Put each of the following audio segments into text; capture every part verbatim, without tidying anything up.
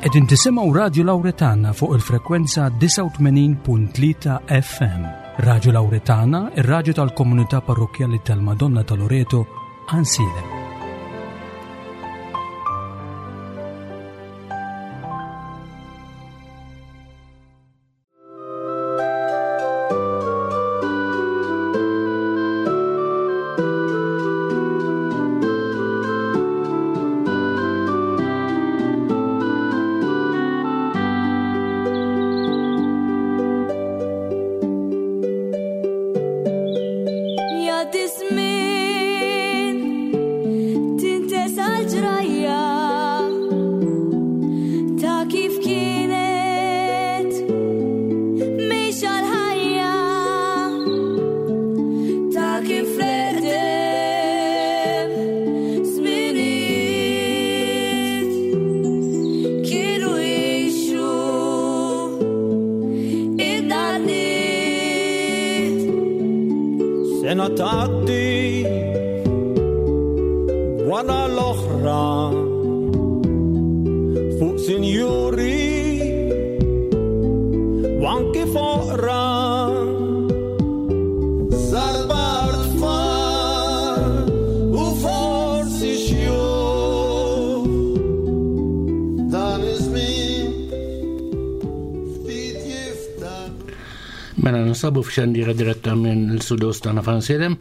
Qegħdin tisimgħu Radio Lauretana fuq il-frekwenza disgħa u tmenin punt tlieta F M. Radio Lauretana, ir-radju tal-komunità parrokkjali tal-Madonna ta' Loreto, Għajnsielem. Mela nsabu f'xandira diretta minn l-studios tagħna f'Għajnsielem.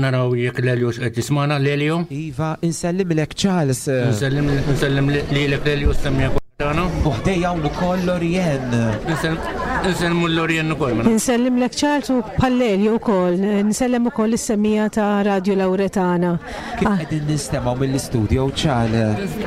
Naraw jekk Lelio x'qed jismana. Lelio? Iva, insellimlek Charles. Insellem, insellem lilek Lelio, semmija tagħna. U ħdejja hawn ukoll Lorien. Insellmu Lorien ukoll, mela. Insellimlek Charles u bħal Lelio wkoll. Insellem ukoll is-semmija ta' Radio Lauretana. Kif Ah. qegħdin nistemgħu mill-istudio, Charles?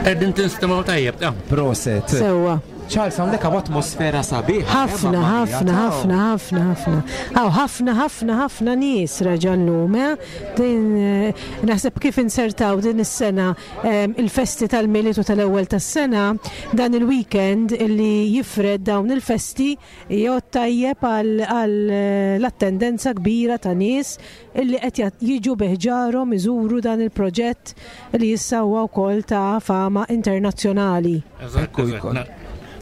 Qegħdin tinstemgħu tajjeb, ta'. Proset. Sewwa. Charles, hawnhekk hawn atmosfera sabiħa, eh, Ħafna, mamma mia, ħafna, ta' ħafna, ħafna, ħafna. Hawn ħafna, ħafna, ħafna nies reġa' llum, eh? Din, eh, naħseb kif insertaw din is-sena, ehm, il-festi tal-Milied u tal-ewwel tas-sena, dan il-weekend illi jifred dawn il-festi jgħod tajjeb għal, għal, eh, l-attendenza kbira ta' nies illi qed jat-, jiġu biħġarhom iżuru dan il-proġett li issa huwa wkoll ta' fama internazzjonali. Eżatt, Ekku eżatt. jkun. Na-,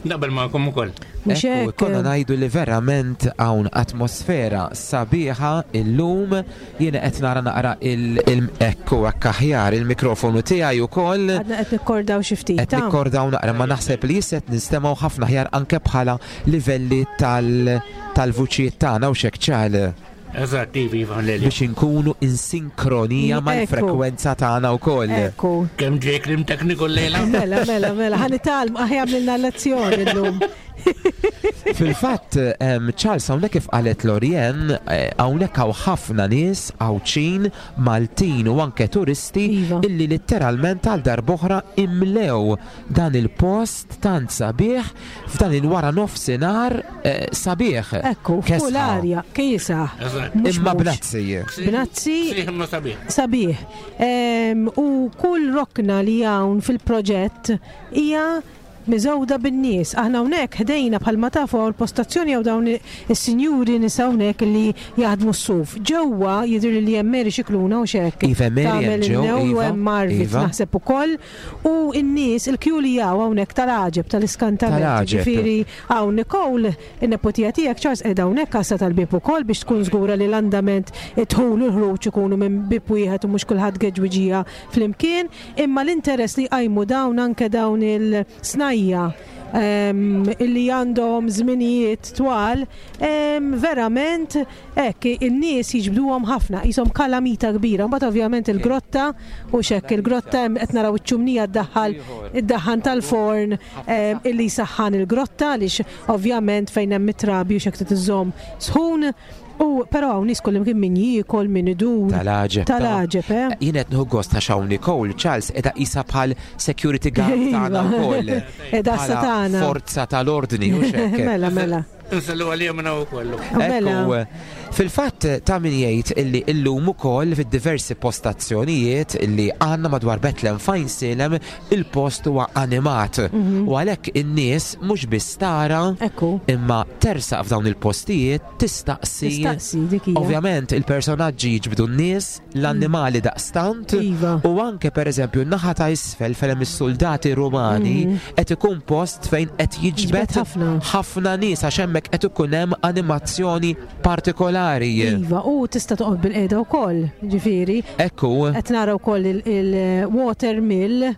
naqbel magħkom ukoll. Mhux Ekku, hekk? konna ngħidu li verament hawn atmosfera sabiħa illum. Jiena qed nara naqra il-, il-, ekku hekk aħjar il-mikrofonu tiegħi ukoll. Għadna qed nikkordaw xi ftit, Qed ta' nikkordaw naqra, ma naħseb li issa qed nistemgħu ħafna aħjar anke bħala livelli tal-, tal-vuċijiet tagħna u x'hekk ċal. Eżatt, iva, iva, Lelio. Biex inkunu in sinkronija Ekku. mal-frekwenza tagħna wkoll. Ekku. Kemm ġej klim tekniku llejla? Mela, mela, mela, ħa nitalmu, aħjar għamlilna lezzjoni llum. Fil-fatt, em, Charles, hawnhekk kif qalet Lorien, eh, hawnhekk hawn ħafna nies Għawdxin, Maltin u anke turisti Iva. illi letteralment għal darb'oħra imlew dan il-post tant sabiħ f'dan il-wara nofsinhar, eh, sabiħ. Ekku, Kesħa. fuq l-arja, kiesaħ. Eżatt. Mhux Imma mhux. bnazzi. Bnazzi. Sieħ imma sabiħ. Sabiħ. Em, u kull rokna li hawn fil-proġett hija miżewda bin-nies. Aħna hawnhekk ħdejna bħalma tafu hawn l-postazzjoni hawn dawn is-sinjuri nies hawnhekk li jaħdmu s-suf. Ġewwa jidhir li hemm Mary Scicluna u x'hekk. Iva, Mary hemm Tagħmel ġew, in-new u Iva, hemm Marvit Iva. naħseb ukoll. U n-nies il-kju li hawn hawnhekk tal-għaġeb, tal-iskantament. Tal-għaġeb. Ġifieri hawn Nicole, in-nepotija tiegħek Charles qiegħda hawnhekk għassa tal-bieb ukoll biex tkun żgura li l-andament id-dħul u l-ħruġ ikunu minn bieb wieħed u mhux kulħadd geġwiġija flimkien. Imma l-interess li qajmu dawn anke dawn il-snajja, ehm, illi għandhom żminijiet twal, ehm, verament hekk in-nies jiġbduhom ħafna, qishom kalamita kbira. Mbagħad ovvjament il-grotta u x'hekk il-grotta hemm qed naraw iċ-ċumnija ddaħħal id-daħħan tal-forn, ehm, illi jsaħħan il-grotta għaliex ovvjament fejn hemm it-trabi u x'hekk trid iżżomm sħun. U però hawn nies kollha kien min jiekol, min idur. Tal-għaġeb, ta' Tal-għaġeb, eh? Jien qed nieħu gost għax hawn Nicole, Charles qiegħda qisha bħal security guard tagħna Iva. wkoll. Qiegħda Bħala satana. Forza tal-ordni u x'hekk. Mela, mela. Insellu għalija minn hawn ukoll. Mela. Ekku, Fil-fatt ta' min jgħid illi illum ukoll fid-diversi postazzjonijiet illi għandna madwar Betlem f'Għajnsielem il-post huwa animat. Mhm. U għalhekk in-nies mhux biss tara Ekku. imma tersaq f'dawn il-postijiet tistaqsi. Tistaqsi dik hija. Ovvjament il-personaġġi jiġbdu n-nies, l-annimali daqstant, Iva. u anke per eżempju n-naħa ta' isfel fejn hemm is-soldati Rumani qed ikun post fejn qed jiġbed Mhm. Jiġbed ħafna. ħafna nies għax hemmhekk qed ikun hemm animazzjoni partikolari. Iva, u tista' toqgħod bil-qiegħda wkoll, ġifieri. Ekku, Qed nara wkoll il-water mill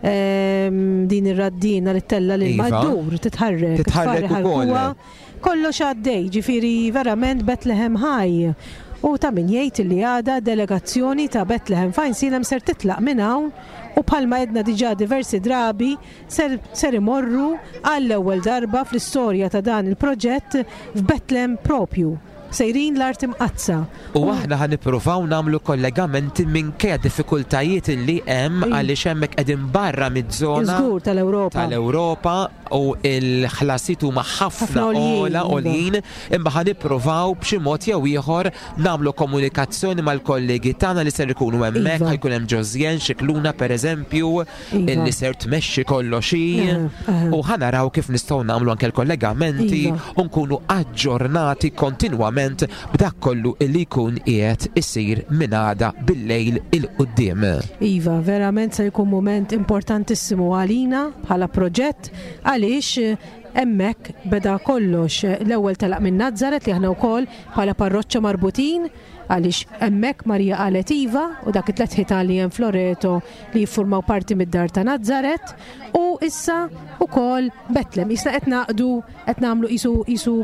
ehm, din ir-raddina li tella lil Iva. maddur titħarrek. Titħarrek tfarri ukoll. ħarkuha. Kollox għaddej, ġifieri verament Bethlehem ħaj. U ta' min jgħid li għada delegazzjoni ta' Bethlehem f'Għajnsielem ser titlaq minn hawn u bħalma għedna diġà diversi drabi ser, ser imorru għall-ewwel darba fl-istorja ta' dan il-proġett f'Bethlehem propju. Sejrin l-art imqaddsa. U aħna ħa nippruvaw nagħmlu kollegamenti minkejja diffikultajiet li hemm Iva. għaliex hemmhekk qegħdin barra miż-żona Żgur tal-Ewropa. tal-Ewropa u il-ħlasiet huma ħafna Ħafna għoljin, ogħla iva. għoljin imma ħa nippruvaw b'xi mod jew ieħor nagħmlu komunikazzjoni mal-kollegi tagħna li ser ikunu hemmhekk Iva. ħa jkun hemm Josjen Xikluna pereżempju Iva. illi ser tmexxi kollox hi Eh, eh. u ħa naraw kif nistgħu nagħmlu anke l-kollegamenti Iva. u nkunu aġġornati kontinwament b'dak kollu illi jkun qiegħed isir minn għada bil-lejl 'il quddiem. Iva, verament se jkun moment importantissimu għalina bħala proġett għaliex eh, hemmhekk beda kollox. L-ewwel telaq minn Nazzaret li aħna wkoll bħala parroċċa marbutin għaliex hemmhekk Marija qalet iva u dak it-tliet ħitan li hemm Floreto li jiffurmaw parti mid-dar ta' Nazzaret u issa ukoll Betlem. Issa qed naqdu qed nagħmlu qisu qisu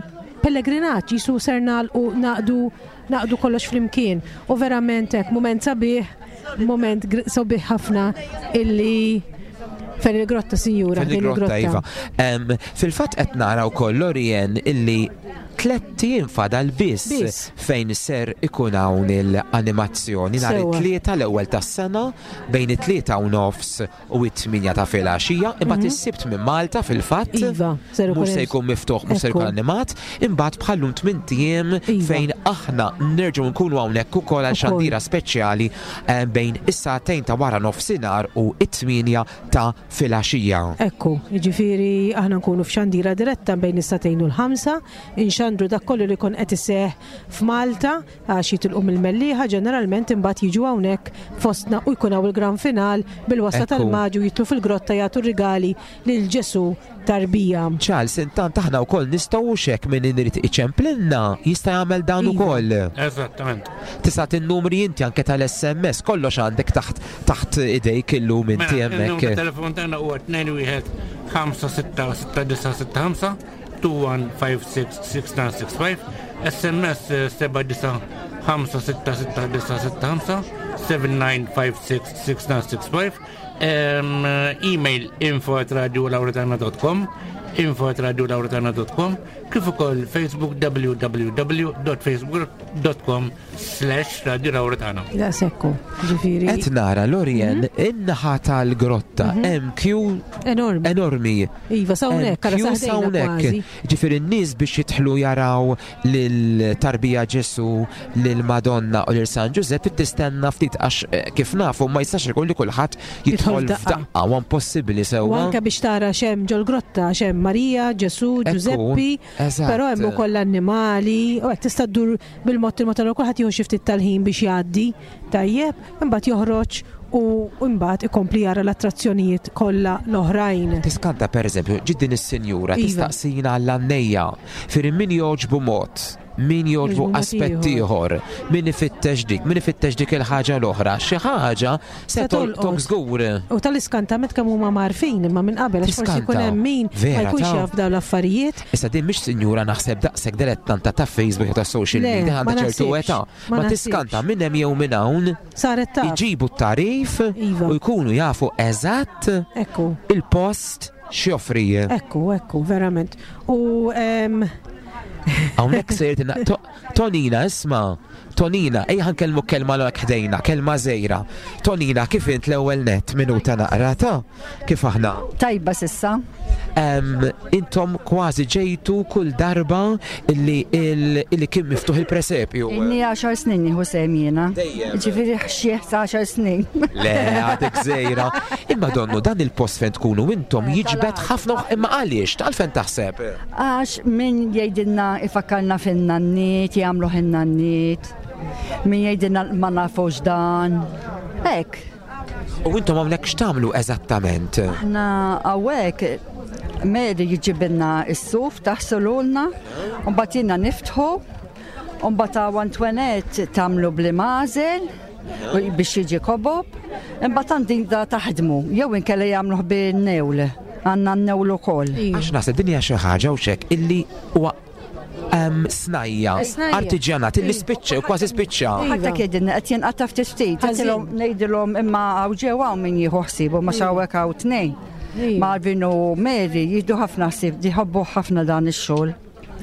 pellegrinaġġ, qisu ser nagħlqu naqdu naqdu kollox flimkien. U verament hekk mument sabiħ, moment gr- sabiħ ħafna illi fejn il-grotta sinjura, Fejn il-grotta, Iva. Em, Fil-fatt qed nara wkoll Lorien illi tlett ijiem fadal biss Biss. fejn ser ikun hawn il-animazzjoni nhar Sewwa. it-tlieta l-ewwel tas-sena bejn it-tlieta u nofs u it-tminja ta' filgħaxija, imbagħad is-Sibt minn Malta fil-fatt Mhm. Iva, ser ikun mhux se hemm- jkun miftuħ, mhux se Ekku. jkun animat, imbagħad bħallum tmint ijiem Iva. fejn aħna nerġgħu nkunu hawnhekk ukoll għal Ukoll. xandira speċjali eh, bejn is-sagħtejn ta' wara nofsinhar u it-tminja ta' filgħaxija. Ekku, ġifiri aħna nkunu f'xandira diretta bejn is-sagħtejn u l-ħamsa, inxandru dak kollu li kon qed iseħ f'Malta għax jitilqu mill-Mellieħa ġeneralment imbagħad jiġu hawnhekk fostna u jkun hawn il-gran final bil-wasla Ekku. tal-maġu jitlu fil-grotta jagħtu rigali lil Ġesu tarbija. Charles, intant aħna wkoll nistgħu xek minn irid iċemplinna jista' jagħmel dan Iva. ukoll. Eżattament. Tista' tin-numri inti anke tal-SMS kollox għandek taħt taħt idejk illum inti Mela, il-numru hemmhekk. telefon tagħna huwa tnejn wieħed ħamsa sitta sitta disa' sitta ħamsa two one five six six nine six five SMS eh, seba' disa' ħamsa sitta sitta disa' sitta ħamsa seven nine five six six nine six five Em, eh, email info at radiolauretana dot com info at radiolauretana dot com kif ukoll Facebook www.facebook.com slash radiolauretana. Da sekku, ġifiri. Qed nara Lorien Mhm. in-naħa tal-grotta hemm queue Enormi. enormi. Iva, sawnek, Hemm għara queue saħdejna s'hawnhekk. kważi. Ġifieri n-nies biex jidħlu jaraw lil-tarbija Ġesu, lil-Madonna u lil San Ġużepp tistenna ftit għax eh, kif nafu ma jistax ikun li kulħadd jidħol Jidħol f'daqqa. f'daqqa u impossibbli U sewwa. anke biex tara xem ġol-grotta, xem Marija, Ġesu, Ekku, Ġużeppi, eżatt. però hemm ukoll annimali, u hekk tista' ddur bil-mod il-mod allura kulħadd jieħu xi ftit tal-ħin biex jgħaddi, tajjeb, imbagħad joħroġ u imbagħad ikompli jara l-attrazzjonijiet kollha l-oħrajn. Tiskanta per eżempju, ġiddin is-sinjura Iva. tistaqsina għall-annejja fir min joġbu mod, min joġbu Joġbu mod aspett ieħor, min ifittex dik, min ifittex dik il-ħaġa l-oħra, xi ħaġa se Se tolqtok tolqot. żgur. U tal-iskantament kemm huma marfin imma minn qabel għax forsi Tiskanta. jkun hemm min ma Vera, jkunx ta' jaf dawn l-affarijiet. Issa din mhix sinjura naħseb daqshekk dilettanta ta' Facebook u ta' social Le, media ma għandha ċertu naħsibx, età. ma Ma tiskanta naħsibx. minn hemm jew minn hawn Saret taf. iġibu t-tarif Iva. u jkunu jafu eżatt Ekku. il-post x'joffri. Ekku, ekku, verament. U em, Hawnhekk sejr tina- To- Tonina isma' Tonina, ejja nkellmu kelma l ħdejna, kelma żgħira. Tonina, kif int l-ewwel net minuta naqra ta' kif aħna? Tajba s'issa. Em, intom kważi ġejtu kull darba illi il- illi kien miftuħ il-presepju. Inni għaxar snin nieħu sehem jiena. Dejjem. Ġifieri xieħ ta' għaxar snin. Le, għadek żgħira. Imma donnu dan il-post fejn tkunu intom jiġbed ħafna imma għaliex, għalfejn taħseb? Għax min jgħidilna ifakkarna fin-nanniet, jagħmlu in-nanniet. Min jgħidilna ma nafux dan. Hekk. U intom hawnhekk x'tagħmlu eżattament? Aħna hawnhekk Mary jġibilna s-suf taħsululna, u mbagħad jiena niftħu, u mbagħad hawn Antoinette tagħmlu bl-imgħażel biex jiġi kobob, imbagħad għandi da taħdmu, jew inkella jagħmluh bin-newl, għandna n-newl ukoll. Għax naħseb din hija xi ħaġa u xek illi huwa em, snajja, Snajja. artiġjanat illi spiċċa u kważi spiċċa. Ħadd jgħidilna qed jinqata' ftit ftit, Ħażin. għedtilhom ngħidilhom imma hawn ġew hawn min jieħu ħsiebu ma xawek hawn tnejn. Iva. Marvin u Mary jieħdu ħafna ħsieb, jħobbu ħafna dan ix-xogħol.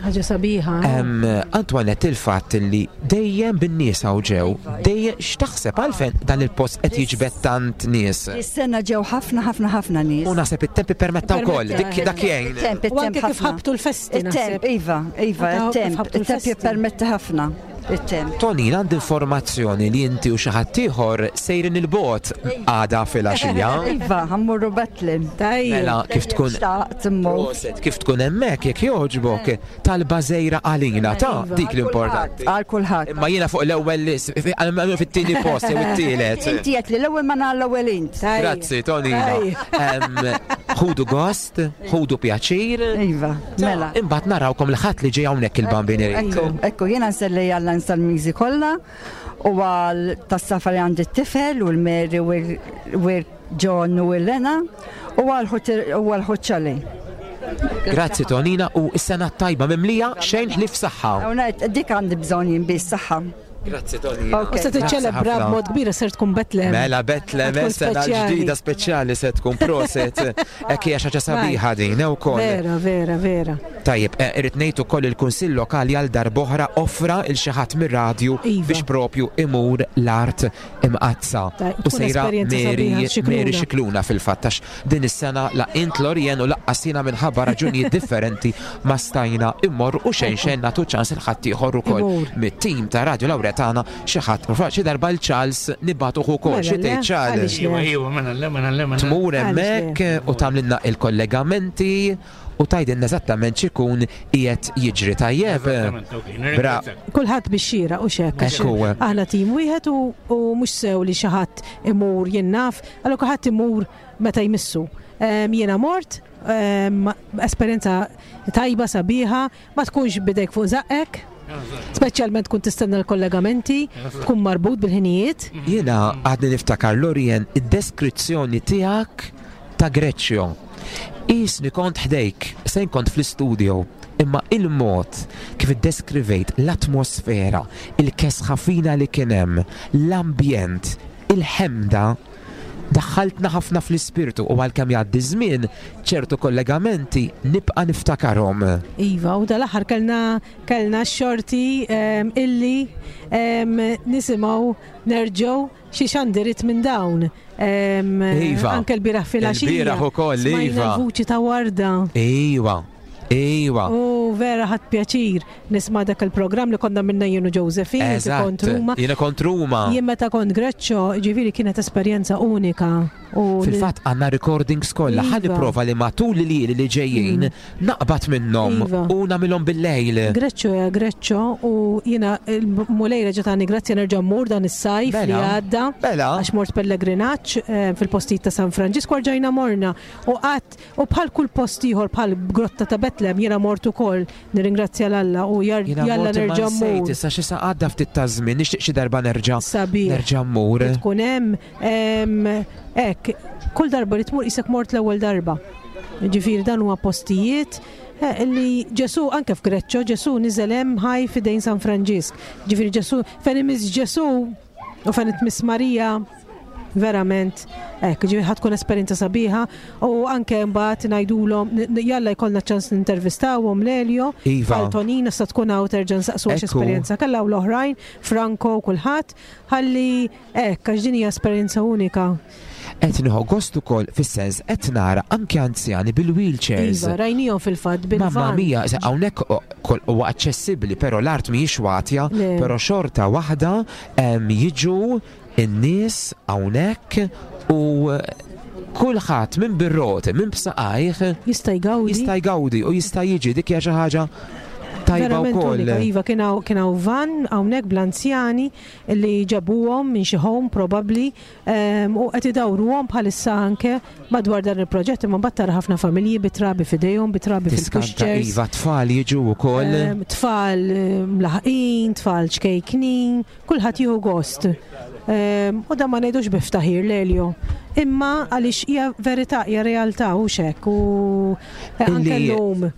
Ħaġa sabiħa. eh? Em, Antoinette, il-fatt li dejjem bin-nies hawn ġew, dejjem x'taħseb għalfejn dan il-post qed jiġbed tant nies. Is-sena ġew ħafna ħafna ħafna nies. U naħseb it-temp ippermetta wkoll, dik dak jgħin. Il-temp, U anke il-temp kif ħafna. ħabtu l-festi Il-temp, naħseb. iva, iva, Anke kif il-temp. ħabtu Il-temp l-festi. jippermetti ħafna. Il-temp. Tonin, għandi informazzjoni li inti u xi ħadd ieħor sejrin il-bot għada filgħaxija. Iva, ħa mmorru Betlem. Tajjeb. Mela, kif tkun Xtaqt immur. Proset, kif tkun hemmhekk jekk jogħġbok talba żgħira għalina ta' dik l-importanti. Għal kulħadd. Imma jiena fuq l-ewwel lis- fi- għal- fit-tieni post jew it-tielet. Inti qed li l-ewwel ma nagħal l-ewwel int. Tajjeb. Grazzi, Tonina. Em, Ħudu gost, ħudu pjaċir. Iva, mela. Imbagħad narawkom l-ħadd li ġej hawnhekk il-Bambin irid. Ekku, ekku, jiena nselli għall Salmiżi kollha u għal tas-safar li għandi t-tifel u l-Mary u l-John u l-Lena u għal ħuċċali. Grazzi Tonina u s-sena tajba mimlija xejn ħlief saħħa. Hawnhekk dik għandi bżonn jien biss saħħa. Grazzi Tonina. Ok. U se tiċċelebra Grazzi ħafna. b'mod kbir ser tkun Betlem. Mela Betlem, Tkun sena speċjali. ġdida speċjali se tkun proset. Hekk hija xi ħaġa sabiħa din ukoll. Vera, vera, vera. Tajjeb, eh, irrid ngħid ukoll il-Kunsill Lokali għal darb'oħra offra il xi ħadd mir-radju Iva. biex propju imur l-art imqazza. Tajjeb, U tkun sejra esperjenza Mary sabiħa, Scicluna. Mary Scicluna fil-fatt għax din is-sena la int Lorien u lanqas jiena minħabba raġunijiet differenti ma stajna immor u xejn xejn nagħtu ċans il ħadd ieħor ukoll Imur. mit-tim ta' Radio Lauretana xi ħadd xi darba l-Charles nibagħtuh ukoll Mela xi le, tgħid Charles. għaliex le? Iwa, iwa, mela, le, mela, le, mela. Tmur Għaliex hemmhekk u tagħmlilna il-kollegamenti u tgħidilna eżattament x'ikun qiegħed jiġri tajjeb. Eżattament, ok, nirringrazzjak. Kulħadd biex xira u xek. għax Ekku. Aħna tim wieħed u, u mhux sew li xi ħadd imur jien naf, allura kulħadd imur meta jmissu. Em, Jiena mort, em, esperjenza tajba sabiħa, ma tkunx bidejk fuq żaqqek, speċjalment tkun tistenna l-kollegamenti, tkun marbut bil-ħinijiet. Jiena għadni niftakar Lorien id-deskrizzjoni tiegħek ta' Greċjo. Isni kont ħdejk, sejn kont fl-istudio, imma il-mod kif iddeskrivejt l-atmosfera, il-kesħa fina li kien hemm, l-ambjent, il-ħemda, daħħaltna ħafna fl-ispirtu u għalkemm jgħaddi żmien ċertu kollegamenti nibqa' niftakarhom. Iva, u dal-aħħar kellna kellna x-xorti em, illi em, nisimgħu nerġgħu xi xandirit minn dawn. Em, Iva. Anke l-bieraħ filgħaxija. Il-bieraħ ukoll, Smajna iva. l-vuċi ta' Warda. Iwa, iwa. U vera ħadt pjaċir nisma' dak il-programm li konna minna jien u Josephine, inti kont Ruma. Jiena kont Ruma. Jien meta kont Greċċo, ġifieri kienet esperjenza unika. U Fil-fatt għandna recordings kollha, ħa Iva. nipprova li matul li li ġejjin naqbad minnhom Iva. u nagħmilhom bil-lejl. Greċċo ja Greċċo u jiena il-Mulej reġa' tani grazzja nerġa' mmur dan is-sajf li Mela. għadda. Mela. Għax mort pellegrinaġġ eh, fil-postijiet ta' San Franġisku rġajna morna u qatt u bħal kull post ieħor bħal grotta ta' Betlem jiena mort ukoll nirringrazzja 'l Alla u jar- Jiena jalla mort imma nerġa' nsejt, mmur. issa xi sa għadda ftit ta' żmien, nixtieq xi darba nerġa' Sabiħ. nerġa' mmur. Tkun hemm em, hekk, kull darba li tmur isek mort l-ewwel darba. Ġifieri dan huwa postijiet eh, li Ġesu anke f'Greċċo Ġesu niżel hemm ħaj f'idejn San Franġisk. Ġifieri Ġesu fejn imiss Ġesu u fejn tmiss Marija Verament, hekk, ġifieri ħa tkun esperjenza sabiħa u anke mbagħad ngħidulhom jalla jkollna ċans nintervistawhom Lelio. Iva. Għal Tonina sa tkun hawn terġa' nsaqsu Ekku. esperjenza kellha u l-oħrajn, Franco u kulħadd, ħalli hekk għax din hija esperjenza unika. Qed nieħu gost ukoll fis-sens qed nara anke anzjani bil-wheelchairs. Iva, rajnihom fil-fatt Mamma bil-van. mia, se hawnhekk huwa aċċessibbli, però l-art mhijiex watja, Le. però xorta waħda em, jiġu in-nies hawnhekk u kulħadd minn bir-roti, minn b'saqajh Jista' jgawdi. jista' jgawdi u jista' jiġi. Dik hija xi ħaġa tajba Verament wkoll. unika, iva, kien hawn kien hawn van hawnhekk bl-anzjani li ġabuhom minn xi home probabbli em, u qed idawruhom bħalissa anke madwar dan il-proġett, imma mbagħad tara ħafna familji bit-trabi f'idejhom, bit-trabi Tiskanta fil-pushchairs. iva, tfal jiġu wkoll. Em, Tfal em, mlaħqin, tfal ċkejknin, kulħadd jieħu gost. Em, U da ma ngħidux biftaħir Lelio. Imma għaliex hija verità, hija realtà u xek u eh, anke Illi- llum.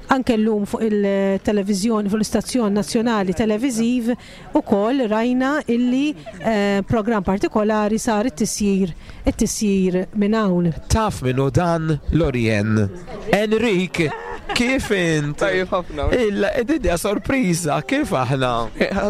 Anke llum fuq il-televiżjoni, fuq l-istazzjon nazzjonali televiżiv ukoll rajna illi eh, program partikolari sar it-tisjir, it-tisjir minn hawn. Taf minnu dan, Lorien? Enrik, kif int? Tajjeb ħafna. Illa, id-dinja sorpriża, kif aħna?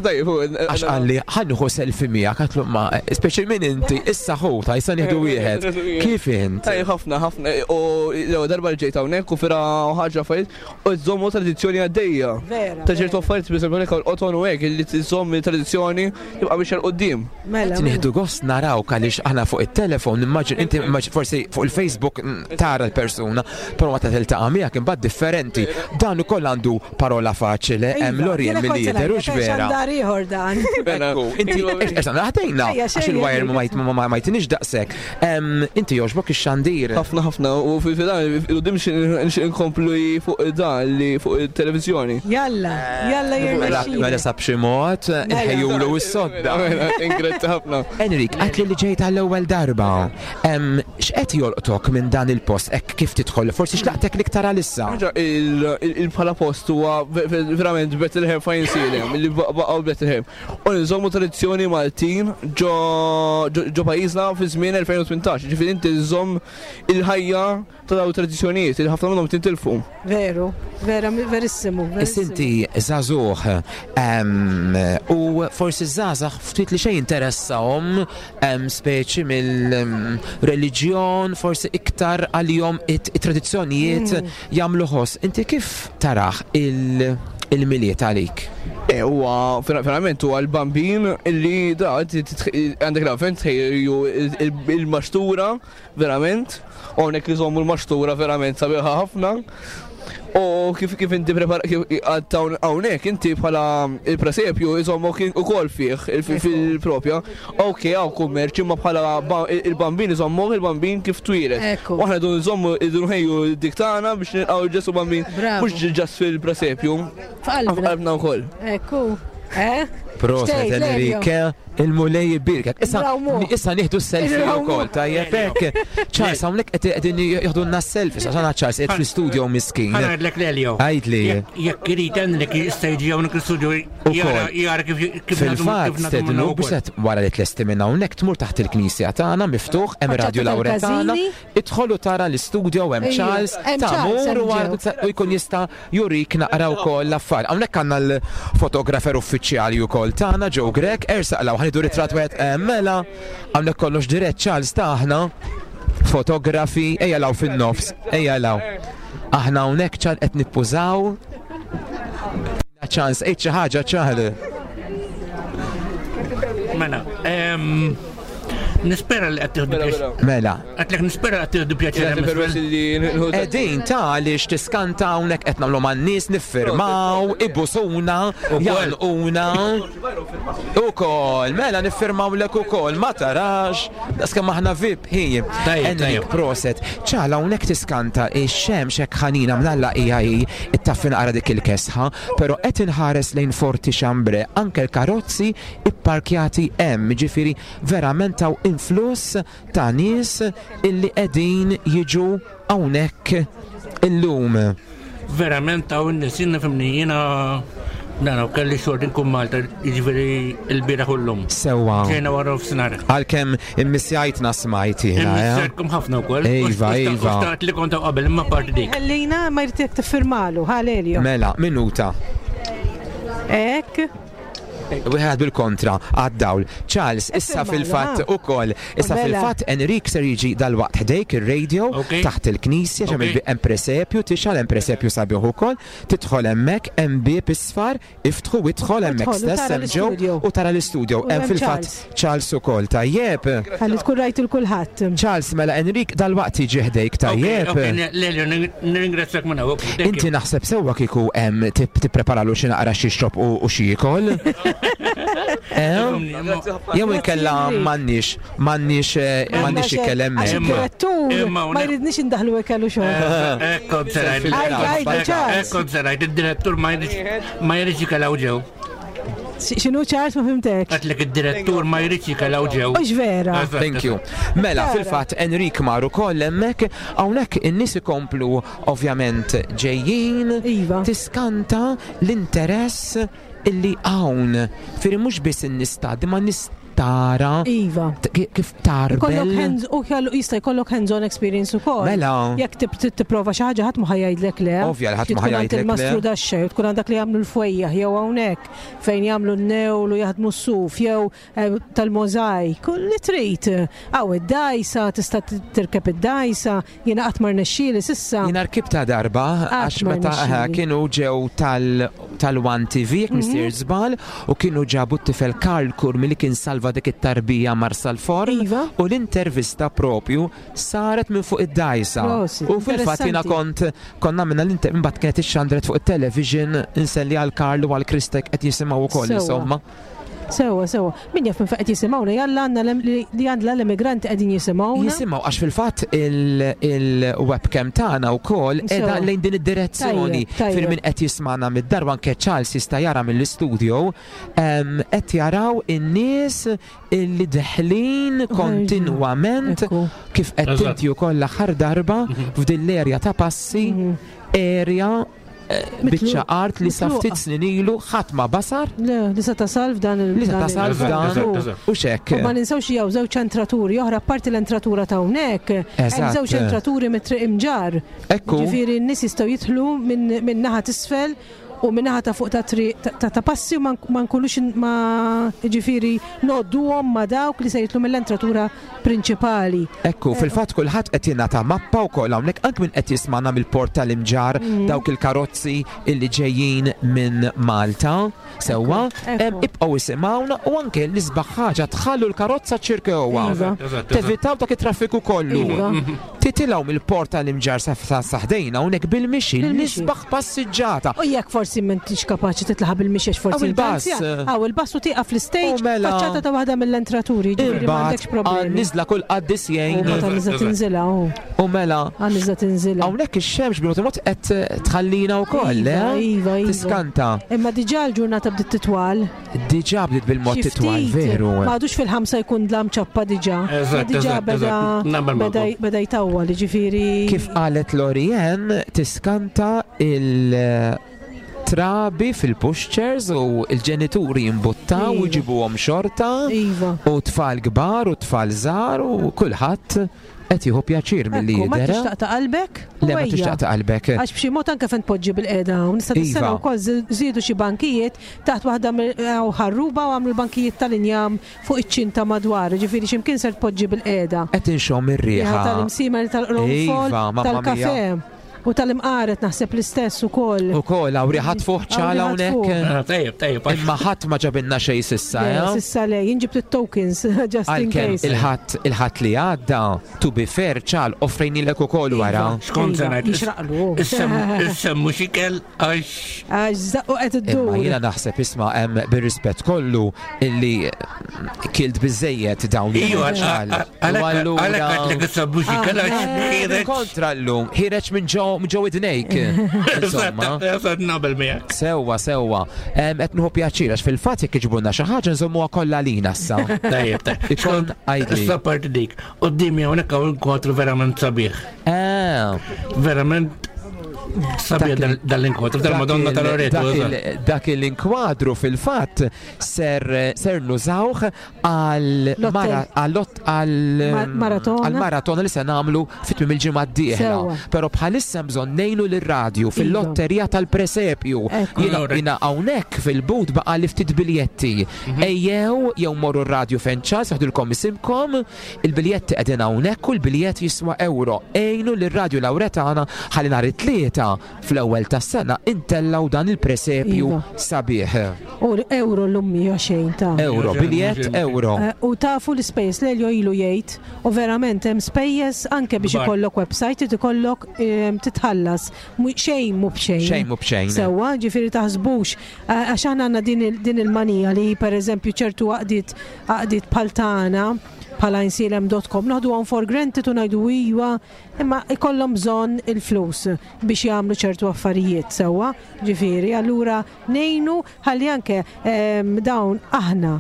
Tajjeb, Għax għalli, ħa nieħu selfie miegħek, għatlu ma, speċi minn inti, issa ħu, ta' jisa nieħdu wieħed. Kif int? Tajjeb ħafna, ħafna. U l darba li ġejt hawnhekk u fira ħaġa affarijiet u żommu tradizzjoni għaddejja. Vera. Ta' ċertu affarijiet, per esempio, l-qoton u hekk li tżomm tradizzjoni tibqa' biex 'il quddiem. Mela. Nieħdu gost naraw għaliex aħna fuq it-telefon, immaġin, inti immaġin forsi fuq il-Facebook mm, tara l-persuna, però meta tiltaqa' miegħek imbagħad differenti. Dan ukoll għandu parola faċile, hemm Iva, Lorien jiena kont milli se jidher, hux ngħidlek, vera. xandar ieħor dan. Ekku, inti, issa naħdejna, Ejja, għax xejn, il-wire Enrique. ma jt- ma ma jtinix daqshekk. Em, Inti jogħġbok ix-xandir. Ħafna ħafna u fi dan il-qudiem xi nkomplu fuq dan li fuq il-televiżjoni. Jalla, jalla Mela jirnexxi. sab xi mod, inħejjulu s-sodda. Ingretti ħafna. Enrik, għatli li ġejt għall-ewwel darba. Em, X'qed jolqtok minn dan il-post hekk kif tidħol? Forsi x'laqtek l-iktar għalissa? Ħaġa il-bħala post huwa verament Bethlehem fejn Salem, li baqgħu Bethlehem. U nżommu tradizzjoni Maltin ġo ġo pajjiżna fi żmien elfejn u tmintax. Ġifieri inti nżomm il-ħajja ta' dawn tradizzjonijiet li ħafna minnhom tintilfu. Veru, vera, verissimu. Is inti żagħżugħ em, u forsi żgħażagħ ftit li xejn interessahom em, speċi mill-reliġjon, forsi iktar għalihom it-tradizzjonijiet jagħmlu ħoss. Inti kif taraħ il- il-Milied għalik? E, huwa verament huwa l-bambin illi da għandek l-avvent tħejju il-maxtura verament, u hawnhekk iżommu l-maxtura verament sabiħa ħafna. U kif kif inti prepara kif għad hawnhekk inti bħala il-presepju iżommok ukoll fih fil-propja. Ok, hawn kummerċ imma bħala il-bambin iżommok il-bambin kif twieled. Ekku. U aħna dun nżommu dun ħejju dik tagħna biex nilqgħu Ġesu bambin Bravo. mhux ġast fil-presepju. F'qalbna. F'qalbna wkoll. Ekku. Eh? Proset Xtejt, Lelio. Enrique, il-Mulej jbierkek. Issa Nrawmu. issa nieħdu s-selfie Nrawmu. wkoll, tajjeb hekk. Charles, hawnhekk qed qegħdin jieħdulna s-selfie, sa sana Charles qed fl-studio miskin. Ħa ngħidlek Lelio. Għidli. Jekk jekk irid Enrik jista' jiġi hawnhekk l-studio jara jara kif kif Fil-fatt, stednu biex qed wara li tlesti minn hawnhekk tmur taħt il-knisja tagħna miftuħ hemm Faċċata Radio Lauretana, tal-Każini. idħolu tara l-istudio hemm Ejju, Charles, hemm Charles, tamur hemm u ġew. u jkun jista' jurik naqra wkoll l-affar. Hawnhekk għandna l-fotografer uffiċjali wkoll tagħna Joe Grek, ersaq law ħanidu ritratt wieħed eh, mela, hawnhekk kollox dirett Charles taħna fotografi, ejja law fin-nofs, ejja law. Aħna hawnhekk Charles qed nippużaw. Ċans, ejt xi ħaġa Charles. Mela, em, nispera li qed tieħdu pjaċir. Mela, Għedtlek nispera qed tieħdu pjaċir Jagħti hemm permess isfel. li nħu Edin ta' għaliex tiskanta hawnhekk qed nagħmlu man-nies niffirmaw, ibusuna, jgħanquna. Ukoll, mela niffirmaw lek ukoll, ma tarax, daqskemm aħna V I P hi. Tajjeb, Enrik, tajjeb. proset. Ċala hawnhekk tiskanta ix-xemx hekk ħanina mnalla hija hi ittaffi naqra dik il-kesħa, però qed inħares lejn Forti Xambre, anke l-karozzi ipparkjati hemm, ġifieri verament hawn influss ta' nies illi qegħdin jiġu hawnhekk illum. Verament hawn nies, jiena fimni, jiena Nara, kelli xorti nkun Malta, jiġifieri l-bieraħ u llum. Sewwa. Ġejna wara nofsinhar. Għalkemm immissjajtna smajt jiena, eh? Immissjajtkom ħafna wkoll. Iva, iva. U xtaqt li kont hawn qabel, imma parti dik. Ħallina ma jridek tiffirmalu, ħa Elio. Mela, minuta. Ek. Wieħed bil-kontra għad-dawl. Charles, issa Iffirmalu, fil-fatt ha. ukoll, issa Mela. fil-fatt Enrik ser jiġi dal-waqt ħdejk ir-radio Ok. taħt il-knisja Ok. ġem hemm presepju, tixgħal hemm presepju sabiħ ukoll, tidħol hemmhekk hemm bieb isfar, iftħu idħol hemmhekk Idħol u stess tara hemm ġew l-istudio. u tara l-istudio. U Hemm hemm fil-fatt Charles. Charles ukoll tajjeb. Ħalli tkun rajt il-kulħadd. Charles, mela Enrik dal-waqt jiġi ħdejk tajjeb. Ok, Lelio, nirringrazzjak minn hawn. Thank Inti you. naħseb sewwa kieku hemm tip- tippreparalu xi naqra xi xrob u u xi jiekol. Eh? Jew inkella Grazzi, m'għandniex m'għandniex eh, m'għandniex ikel Għax hemmhekk. il-direttur Imma ma jridniex indaħlu ikel u xogħol. Ekko serajt. Għaj, għaj, Charles. Ekko serajt, id-direttur ma jridx ma jridx ikelaw ġew. X'inhu Charles ma fimtekx. Għatlek id-direttur ma jridx ikelaw ġew. Ux vera. Eżatt, Thank you. Mela, fil-fatt Enrik mar ukoll hemmhekk, hawnhekk in-nies ikomplu ovvjament ġejjin. Iva. Tiskanta l-interess illi hawn. Firri mhux biss in-nies tgħaddi, ma nies tara Iva. t- kif Kollok tarbel. hands u kellu jista' jkollok hands-on experience ukoll. Mela. Jekk tip- tip- tipprova xi ħaġa ħadd ma ħajajdlek le. Ovvja li ħadd ma Tkun għand ħajajdlek le. Il-mastru daxxa, jew tkun għandak li jagħmlu l-fwejjaħ jew hawnhekk fejn jagħmlu n-newl u jaħdmu s-suf jew eh, tal-mozaik, kull li trid. Aw id-dajsa, tista' tirkeb id-dajsa, jiena qatt ma rnexxieli s'issa. Jina rkibta darba, għax ma meta rnexxieli. eh, kienu ġew tal- tal-One T V, jekk mistier żball, u kienu ġabu t-tifel Karl Kurmi li kien salva dik it-tarbija Marsal Forn, Iva. u l-intervista propju saret minn fuq id-dajsa. Prosit, U fil-fatt jiena kont konna minna l-inter imbagħad kienet ixxandret fuq it-television inselli għal Karl u għal Kristek qed jisimgħu wkoll Sewwa. insomma. Sewa, sewa. Min jaf minn fejn qed jisimgħuna, jalla għandna l- li li għandna l-immigranti qegħdin jisimgħuna. Jisimgħu għax fil-fatt il- il-webcam tagħna wkoll qiegħda Sewa. lejn din id-direzzjoni. Tajjeb, tajjeb. Fil min qed jismana mid-dar u anke Charles jista' jara mill-istudio em, qed jaraw in-nies illi deħlin kontinwament Ekku. kif qed Eżatt. inti wkoll l-aħħar darba f'din l-erja ta' passi erja eh, biċċa art li sa mitluqa. ftit snin ilu ħadd ma basar Le, li se tasal f'dan il- li se dan il- tasal Eżatt, f'dan eżatt, eżatt. u xek. U ma ninsewx jew żewġ entraturi oħra apparti l-entratura ta' hawnhekk, hemm Eżatt. żewġ entraturi mit-triq imġar. Ekku. Ġifieri n-nies jistgħu jidħlu minn minn naħa t'isfel u minn naħa ta' fuq ta' triq ta- ta' ta' passi u ma nk- ma nkunux in- ma ġifieri nodduhom ma dawk li se jidħlu mill-entratura prinċipali. Ekku, fil-fatt kulħadd qed jingħata mappa wkoll hawnhekk anke min qed jismana mill-port tal-Imġar Mm. dawk il-karozzi illi ġejjin minn Malta. Sewwa, Ekku, ekku. em, ibqgħu isimgħuna u anke l-isbaħ ħaġa tħallu l-karozza ċirkewwa. Iva. Eżatt, eżatt. Tevitaw dak it-traffiku kollu. Iva. Titilgħu mill-port tal-Imġar sa sa- sa ħdejna hawnhekk bil-mixi, Bil-mixi. l-isbaħ passiġġata. U jekk forsi m'intix kapaċi titlaħ bil-mixiex forsi Aw il-bus. intanzja. Aw il-bus u tieqaf l-stage U mela. faċċata ta' waħda mill-entraturi, ġifieri m'għandekx Imbagħad problemi. nizla kull qaddis U jgħin meta nizla Eżatt. tinżilha, u u mela għan-nizla tinżilha. hawnhekk ix-xemx bil mod qed tħallina wkoll, Iva, eh? iva, iva. Tiskanta. Imma diġà l-ġurnata bdiet titwal. Diġà bdiet bil-mod Xi titwal, ftit, veru. Ma għadux fil-ħamsa jkun dlam ċappa diġà. Eżatt, Ma Diġà eżatt, beda eżatt. Naqbel beda magħkom. beda jtawwal, ġifieri. Kif qalet Lorien, tiskanta il-trabi fil-pushchairs u il-ġenituri jimbuttaw u Iva. jġibuhom xorta Iva. u tfal kbar u tfal żgħar u kulħadd qed jieħu pjaċir milli Ekku, ma jidher. tixtaq ta' qalbek? u Le ma ejja. tixtaq ta' qalbek. Għax b'xi mod anke fejn tpoġġi bil-qeda hawn, nista' Iva. tis-sena wkoll żiedu xi bankijiet taħt waħda mill- hawn ħarruba u għamlu l-bankijiet tal-injam fuq iċ-ċinta madwar, ġifieri x'imkien ser tpoġġi bil-qeda. Qed inxomm ir-riħa. Riħa tal-imsimer, tal-qronfol, Iva, mamma tal-kafe u tal-imqaret naħseb l-istess ukoll. U kol hawn riħa tfuħ ċala Hawn riħa hawnhekk. Ah, Tajjeb, tajjeb. Imma ħadd ma ġabilna xejn sissa, Le, eh? Sissa le, jien ġibt it-tokens just in Għalkemm case. il-ħadd il-ħadd li għadda, to be fair, ċal, offrejnilek ukoll wara. Iva. Xkont se Iva, ngħid? jixraqlu. Issemmu xikel għax Għax zaqqu qed Imma iddur. jiena naħseb isma' hemm bir-rispett kollu illi kilt biżejjed dawn Iju, il-ċal. għalek għatlek issemmu xikel għax ħireċ. Kontra llum, ħireġ minn ġo minn ġo idnejk. Insomma. Eżatt, nabel miegħek. Sewwa, sewwa. Em, Qed nieħu pjaċir għax fil-fatt jekk iġibulna xi ħaġa nżommuha kollha lina issa. Tajjeb, tajjeb. Ikon għajdli. Issa parti dik. Qoddimi hawnhekk hawn kwadru verament sabiħ. Eh, Verament Sabiħ dal-inkwadru, dal-Madonna tal-Loreto. Dak l-inkwadru fil-fatt ser ser nużawh għal maratona li se nagħmlu fit-tmiem il-ġimgħa d-dieħla. Però bħalissa bżonn ngħinu lir-radju fil-lotterija tal-presepju. Jiena hawnhekk fil-but baqa' li ftit biljetti. Ejjew jew morru r-radju fejn Charles jaħdulkom isimkom, il-biljetti qegħdin hawnhekk u l-biljett jiswa euro. Ejnu lir-Radju Lawretana ħalli nhar it-tlieta fl-ewwel tas-sena intellaw dan il-presepju sabiħ. U euro l-lum hija xejn ta' Euro, biljett euro. U tafu l-ispejjeż Lelio ilu jgħid u verament hemm spejjeż anke biex ikollok website irid ikollok titħallas. Xejn mhu b'xejn. Xejn mhu b'xejn. Sewwa, ġifieri taħsbux għax aħna għandna din il-manija li pereżempju ċertu għaqdiet għaqdiet bħal tagħna bħala insilem dot com noħdu għon for granted u ngħidu iwa, imma ikollhom bżonn il-flus biex jagħmlu ċertu affarijiet sewwa, ġifieri, allura ngħinu ħalli anke dawn aħna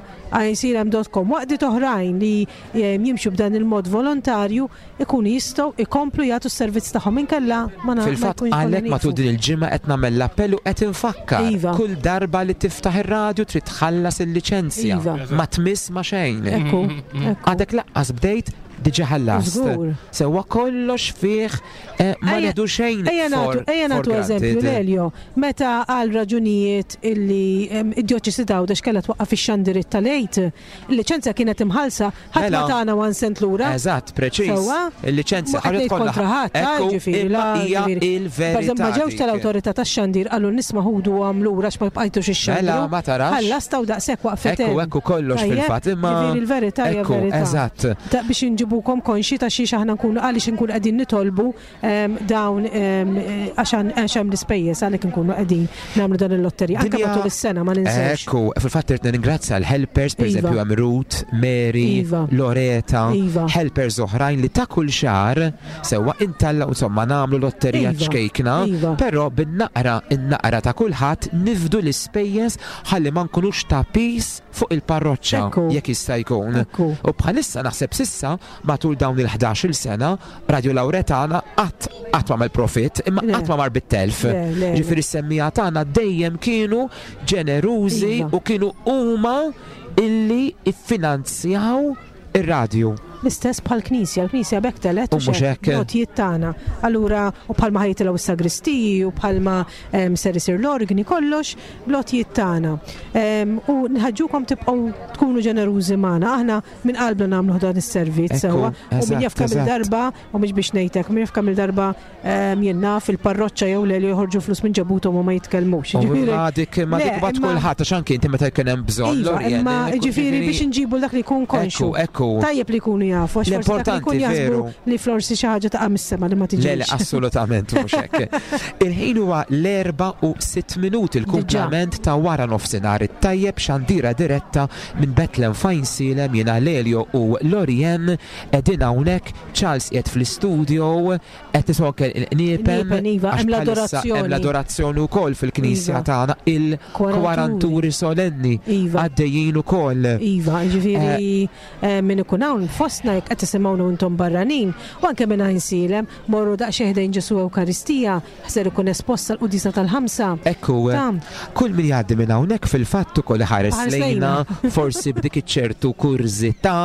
insilem dot com waqdiet oħrajn li jimxu b'dan il-mod volontarju ikunu jistgħu ikomplu jagħtu s-servizz tagħhom inkella ma nagħmlu. Fil-fatt għalhekk matul din il-ġimgħa qed nagħmel l-appell u qed infakkar kull darba li tiftaħ ir-radju trid tħallas il-liċenzja. Ma tmiss ma xejn. Għadek laqqas bdejt diġà ħallast. Sewwa kollox fih ma nieħdu xejn. Ejja nagħtu eżempju Lelio, meta għal raġunijiet illi id-djoċesi t'Għawdex kellha twaqqaf ix-xandiriet tal-Għid, il-liċenzja kienet imħallsa ħadd ma tagħna one cent lura. Eżatt, preċiż. Il-liċenzja ħaret kollha kontra ħadd, ġifieri hija il-verità. Ma ġewx tal-awtorità tax-xandir qalu nisma' ħudu għam lura għax ma bqajtux ix-xandir. Mela ma tarax. Ħallasta u daqshekk waqfet. Ekku ekku kollox fil-fatt imma. Ġifieri l-verità hija verità. Eżatt. Biex inġibukom konxi ta' xiex aħna nkunu għaliex nkunu qegħdin nitolbu dawn għax hemm l-ispejjeż għalhekk nkunu qegħdin nagħmlu dan il-lotterija. Anke matul is-sena ma ninsewx. Ekku, fil-fatt irid nirringrazzja l-helpers, pereżempju hemm Ruth, Mary, Loreta, helpers oħrajn li ta' kull xahar sewwa intalla insomma nagħmlu lotterija ċkejkna, però bin-naqra in-naqra ta' kulħadd nifdu l-ispejjeż ħalli ma nkunux ta' pis fuq il-parroċċa jekk jista' jkun. U bħalissa naħseb sissa matul dawn il-ħdax-il sena Radio Lawretana qatt qatt ma profit imma qatt ma mar bit-telf. Ġifieri s-semmija tagħna dejjem kienu ġenerużi u kienu huma illi iffinanzjaw ir-radju. L-istess bħal knisja, l-knisja bekk telet u mhux hekk notijiet tagħna. Allura u bħalma ħajtilgħu s-sagristiji u bħalma ser isir l-organi kollox blotijiet tagħna. U nħaġġukom tibqgħu tkunu ġenerużi magħna. Aħna minn qalbna nagħmlu dan is-servizz sewwa. U min jaf kemm il-darba u mhux biex ngħidlek, min jaf kemm il-darba jien naf il-parroċċa jew le li joħorġu flus minn ġabuthom u ma jitkellmux. Ġifieri ma dik ma dik bat kulħadd għax anke inti meta jkun hemm bżonn. Imma ġifieri biex inġibu dak li jkun konxu. Tajjeb li jkunu jafu, għax forsi dak li jkun jaħsbu li forsi xi ħaġa taqa' mis-sema li ma tiġix. Le, le, assolutament mhux hekk. Il-ħin huwa l-erba' u sitt minuti l-kumplament ta' wara nofsinhar it-tajjeb xandira diretta minn Bethlehem f'Għajnsielem jiena Lelio u Lorien qegħdin hawnhekk, Charles qiegħed fl-istudio qed nisimgħu anke il-qniepen hemm l-adorazzjoni. Hemm l-adorazzjoni wkoll fil-knisja tagħna il-kwaranturi solenni għaddejjin ukoll. Iva, ġifieri min ikun hawn fostna jekk qed tisimgħuna intom barranin u anke minn Għajnsielem morru daqsxejn ħdejn Ġesu Ewkaristija ħser ikun esposta l-qudisa tal-ħamsa. Ekku, kull min jgħaddi minn hawnhekk fil-fatt ukoll iħares lejna forsi b'dik iċ-ċertu kurżità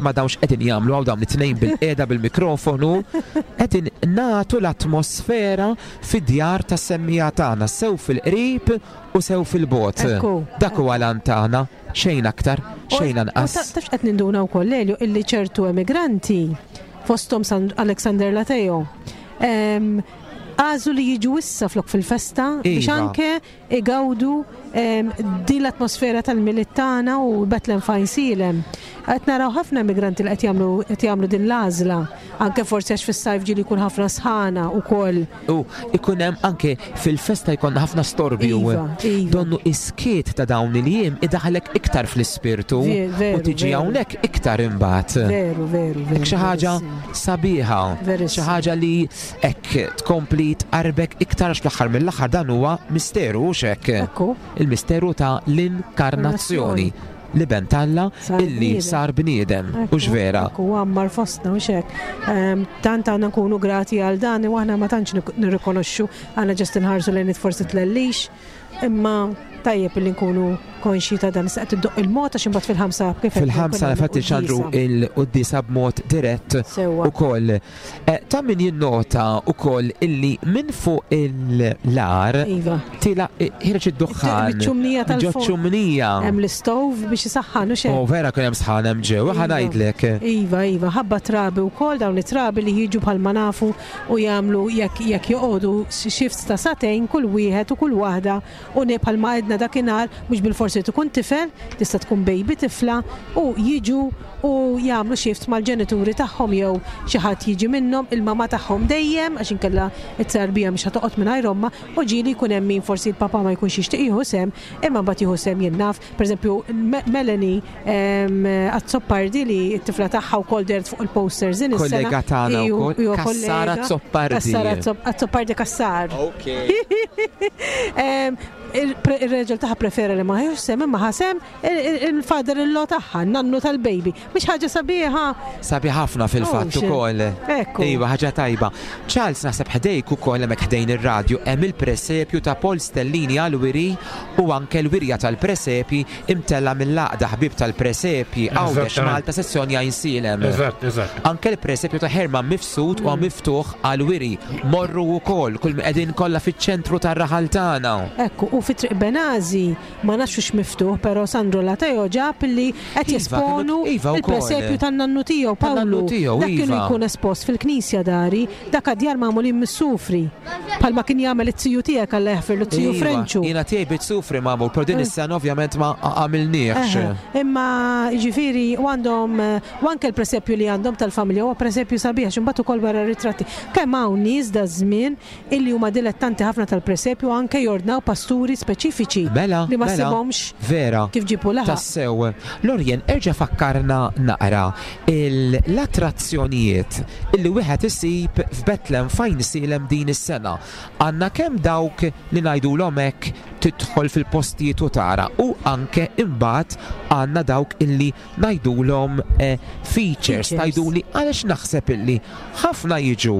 ma dawnx qegħdin jagħmlu hawn dawn it-tnejn bil-qiegħda bil-mikrofonu qegħdin nagħtu l-atmosfera fid-djar tas-semmija tagħna sew fil-qrib u sew fil-bogħod. Dak huwa l-għan tagħna, xejn aktar, xejn anqas. Tafx qed ninduna wkoll Lelio illi ċertu emigranti fosthom San Alexander Lateo għażlu li jiġu issa flok fil-festa biex anke igawdu din l-atmosfera tal-Milied tagħna u Bethlehem f'Għajnsielem. Qed naraw ħafna immigranti li qed jagħmlu qed jagħmlu din l-għażla, anke forsi għax fis-sajf ġieli jkun ħafna sħana wkoll. U ikun hemm anke fil-festa jkun ħafna storbju. Donnu iskiet ta' dawn il-jiem idaħlek iktar fl-ispirtu u tiġi hawnhekk iktar imbagħad. Veru, veru, veru. Xi ħaġa sabiħa, xi ħaġa li hekk tkompli tqarbek iktar għax fl-aħħar mill-aħħar dan huwa misteru hux hekk. Il-misteru ta' l-inkarnazzjoni. l-Iben t'Alla Sar illi bniedem. sar bniedem. Hux vera? Ekku, għammar fostna, u hekk. Ehm, Tant għandna nkunu grati għal dan, u aħna ma tantx nik- nirrikonoxxu, għandna just inħarsu lejn forsi tlellix, imma tajjeb li nkunu konxi ta' dan. Issa qed iddoqq il-mod għax imbagħad fil-ħamsa kif qed Fil-ħamsa nkun hemm fatti xandru il-quddiesa. il-quddiesa b'mod dirett Sewwa. ukoll. Eh, Ta' min jinnota ukoll illi minn fuq il-lar Iva. tila ħireġ id-duħħan. Miċ-ċumnija Ġo tal-forn. ċumnija. Hemm l-istove biex isaħħan u xejn. Oh, vera kien hemm sħan hemm ġew, ħa Iva. ngħidlek. Iva, iva, ħabba trabi u kol, dawn it-trabi li jiġu bħalma nafu u jagħmlu jekk jekk joqogħdu shifts ta' sagħtejn kull wieħed u kull waħda u ne bħalma għedna dakinhar mhux bil-forsi tkun tifel, tista' tkun baby tifla u jiġu u jagħmlu shifts mal-ġenituri tagħhom jew xi ħadd jiġi minnhom, il-mama tagħhom dejjem għax inkella it-tarbija mhux ħatoqgħod mingħajr omma u ġieli jkun hemm min forsi l-papa ma jkunx jixtieq jieħu sem, imma mbagħad jieħu sem jien naf. Pereżempju Me- Melanie em, Azzopardi li t-tifla tagħha wkoll dehret fuq il-posters din is-sena. Kollega tagħna Iju- wkoll, iju Kassar kollega. Azzopardi. Kassar Azzo- Azzopardi Kassar. Ok. Em, Il-reġel tagħha prefera li ma jieħux sem imma ħasem il-father in-law tagħha, nannu tal-baby. Mhix ħaġa sabiħa. Sabi ħafna fil-fatt Oh, ukoll. Ekku. Iva, ħaġa tajba. Charles naħseb ħdejk ukoll hemmhekk ħdejn ir-radju hemm il-presepju ta' Paul Stellini għal-wiri u anke l-wirja tal-presepji imtella mill-għaqda ħbib tal-presepji Għawdex Eżattament. Malta sezzjoni Għajnsielem. Eżatt, eżatt. Anke l-presepju ta' Herman Mifsud huwa miftuħ għal-wiri. Morru wkoll kull qegħdin kollha fiċ-ċentru tar-raħal tagħna. Ekku, u fi Triq Benazi ma nafx hux miftuħ, però Sandro Lateo ġab li qed Iva, jesponu kienu- iva, wkoll. il-presepju tan-nannu tiegħu Pawlu. Tan-nannu tiegħu, Dak kienu iva. jkun espost fil-knisja dari, dak għadjar magħmulin mis-sufri. Palma kien jagħmel it-tiju tiegħek alla jaħfirlu t-tiju Iva, Frenċu. Jiena tiegħi bit-sufri magħmul, però din is-sena ovvjament ma għamilniex. Eħe, Imma ġifiri, u għandhom, eh, u anke l-presepju li għandhom tal-familja, huwa presepju sabiħ, x'imbagħad ukoll wara ritratti. Kemm hawn nies da żmien illi huma dilettanti ħafna tal-presepju anke jordnaw pasturi speċifiċi Mela, li ma mela, ssibhomx Vera. kif ġipu laħaq. Tassew. Lorien, erġa' fakkarna naqra l-attrazzjonijiet illi wieħed isib f'Betlem f'Għajnsielem din is-sena. Għandna kemm dawk li ngħidulhom hekk tidħol fil-postijiet u tara u anke imbagħad għandna dawk illi ngħidulhom eh, features, Features. tgħiduli għaliex naħseb illi ħafna jiġu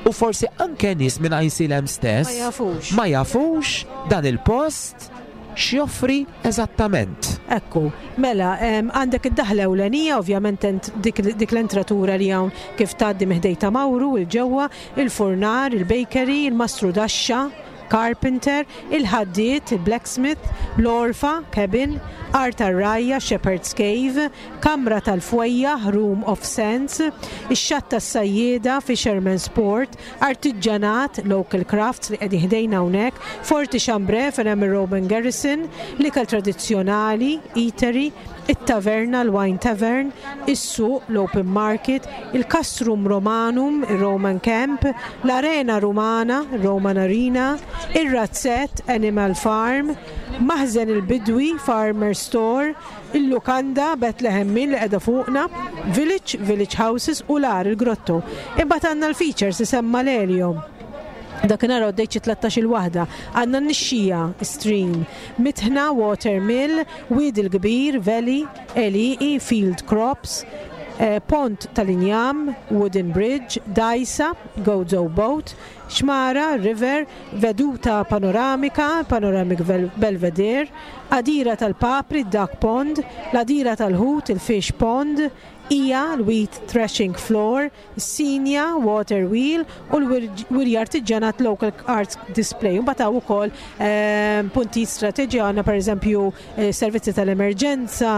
u forsi anke nies minn Għajnsielem stess Ma jafux. ma jafux dan il-post x'joffri eżattament. Ekku, mela, em, għandek id-daħla ewlenija, ovvjament ent- dik, dik l-entratura li hawn kif tgħaddi miħdej ta' Mawru, il-ġewwa, il-furnar, il-bakery, il-mastru daxxa, carpenter, il-ħaddiet, il-blacksmith, l-orfa, cabin, art tar-rajja, shepherd's cave, kamra tal-fwejja, room of sense, ix-xatt tas-sajjieda, fisherman's port, artiġġanat, local crafts li qegħdin ħdejna hawnhekk, Forti Chambre fejn hemm ir-Roman Garrison, l-ikel tradizzjonali, eatery, it-taverna, l-wine tavern, is-suq, l-open market, il-Castrum Romanum, il-Roman Camp, l-Arena Romana, Roman Arena, ir-Razzett, Animal Farm, Maħżen il-Bidwi, Farmer Store, il-Lukanda, Bethlehem Mill li qiegħda fuqna, Village, Village Houses u l-ar, il-Grotto. Imbagħad għandna l-features isemma l-Eliom. Dakinhar għoddejt xi tlettax il waħda. Għandna n-nixxija, stream, Mitħna, Water Mill, Wied il-Kbir, Valley, Għelieqi, Field Crops, eh, Pont tal-Injam, Wooden Bridge, Dajsa, Gozo Boat, Xmara, River, Veduta Panoramika, Panoramic Vel- Belvedere, Għadira tal-Papri, Duck Pond, l-Għadira tal-Ħut, il-Fish Pond, Ija, l-Wheat Threshing Floor, Sinja, Water Wheel u l-Wirja Artiġanat Local Arts Display. Mbagħad hawn ukoll ehm, punti strateġi għandna pereżempju eh, servizzi tal-emerġenza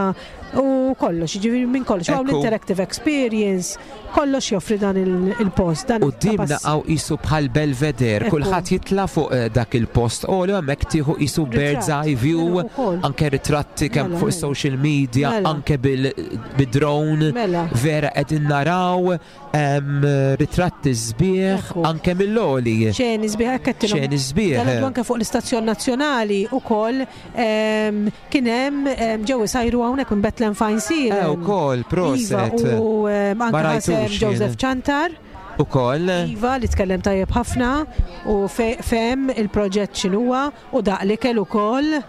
u kollox, ġifieri minn kollox. Hawn Ekku. l-interactive experience, kollox joffri dan il- il-post. Dan U dimna il-kapass- għaw isu bħal Belvedere, Ekku. kulħadd jitla fuq eh, dak il-post. U li hemmhekk tieħu isu bird's Ritratt. eye view, Mela, ukoll. anke ritratti kemm Mela, fuq mela. social media, Mela. anke bil-drone. Mela. Vera qegħdin naraw em, ritratti sbieħ Ekku. anke mill-oli. Xeni sbieħ, hekk qed Xeni sbieħ. Dal-għodu anke fuq l-istazzjon nazzjonali u koll kien hemm em, ġew isajru hawnhekk minn Bethlehem Fine Eh, ukoll, proset. Iva, u em, Ma anke ħasem rajtux jien. Joseph Ciantar. Ukoll. Iva li tkellem tajjeb ħafna u fe- fehem il-proġett x'inhuwa u daq l-ikel ukoll.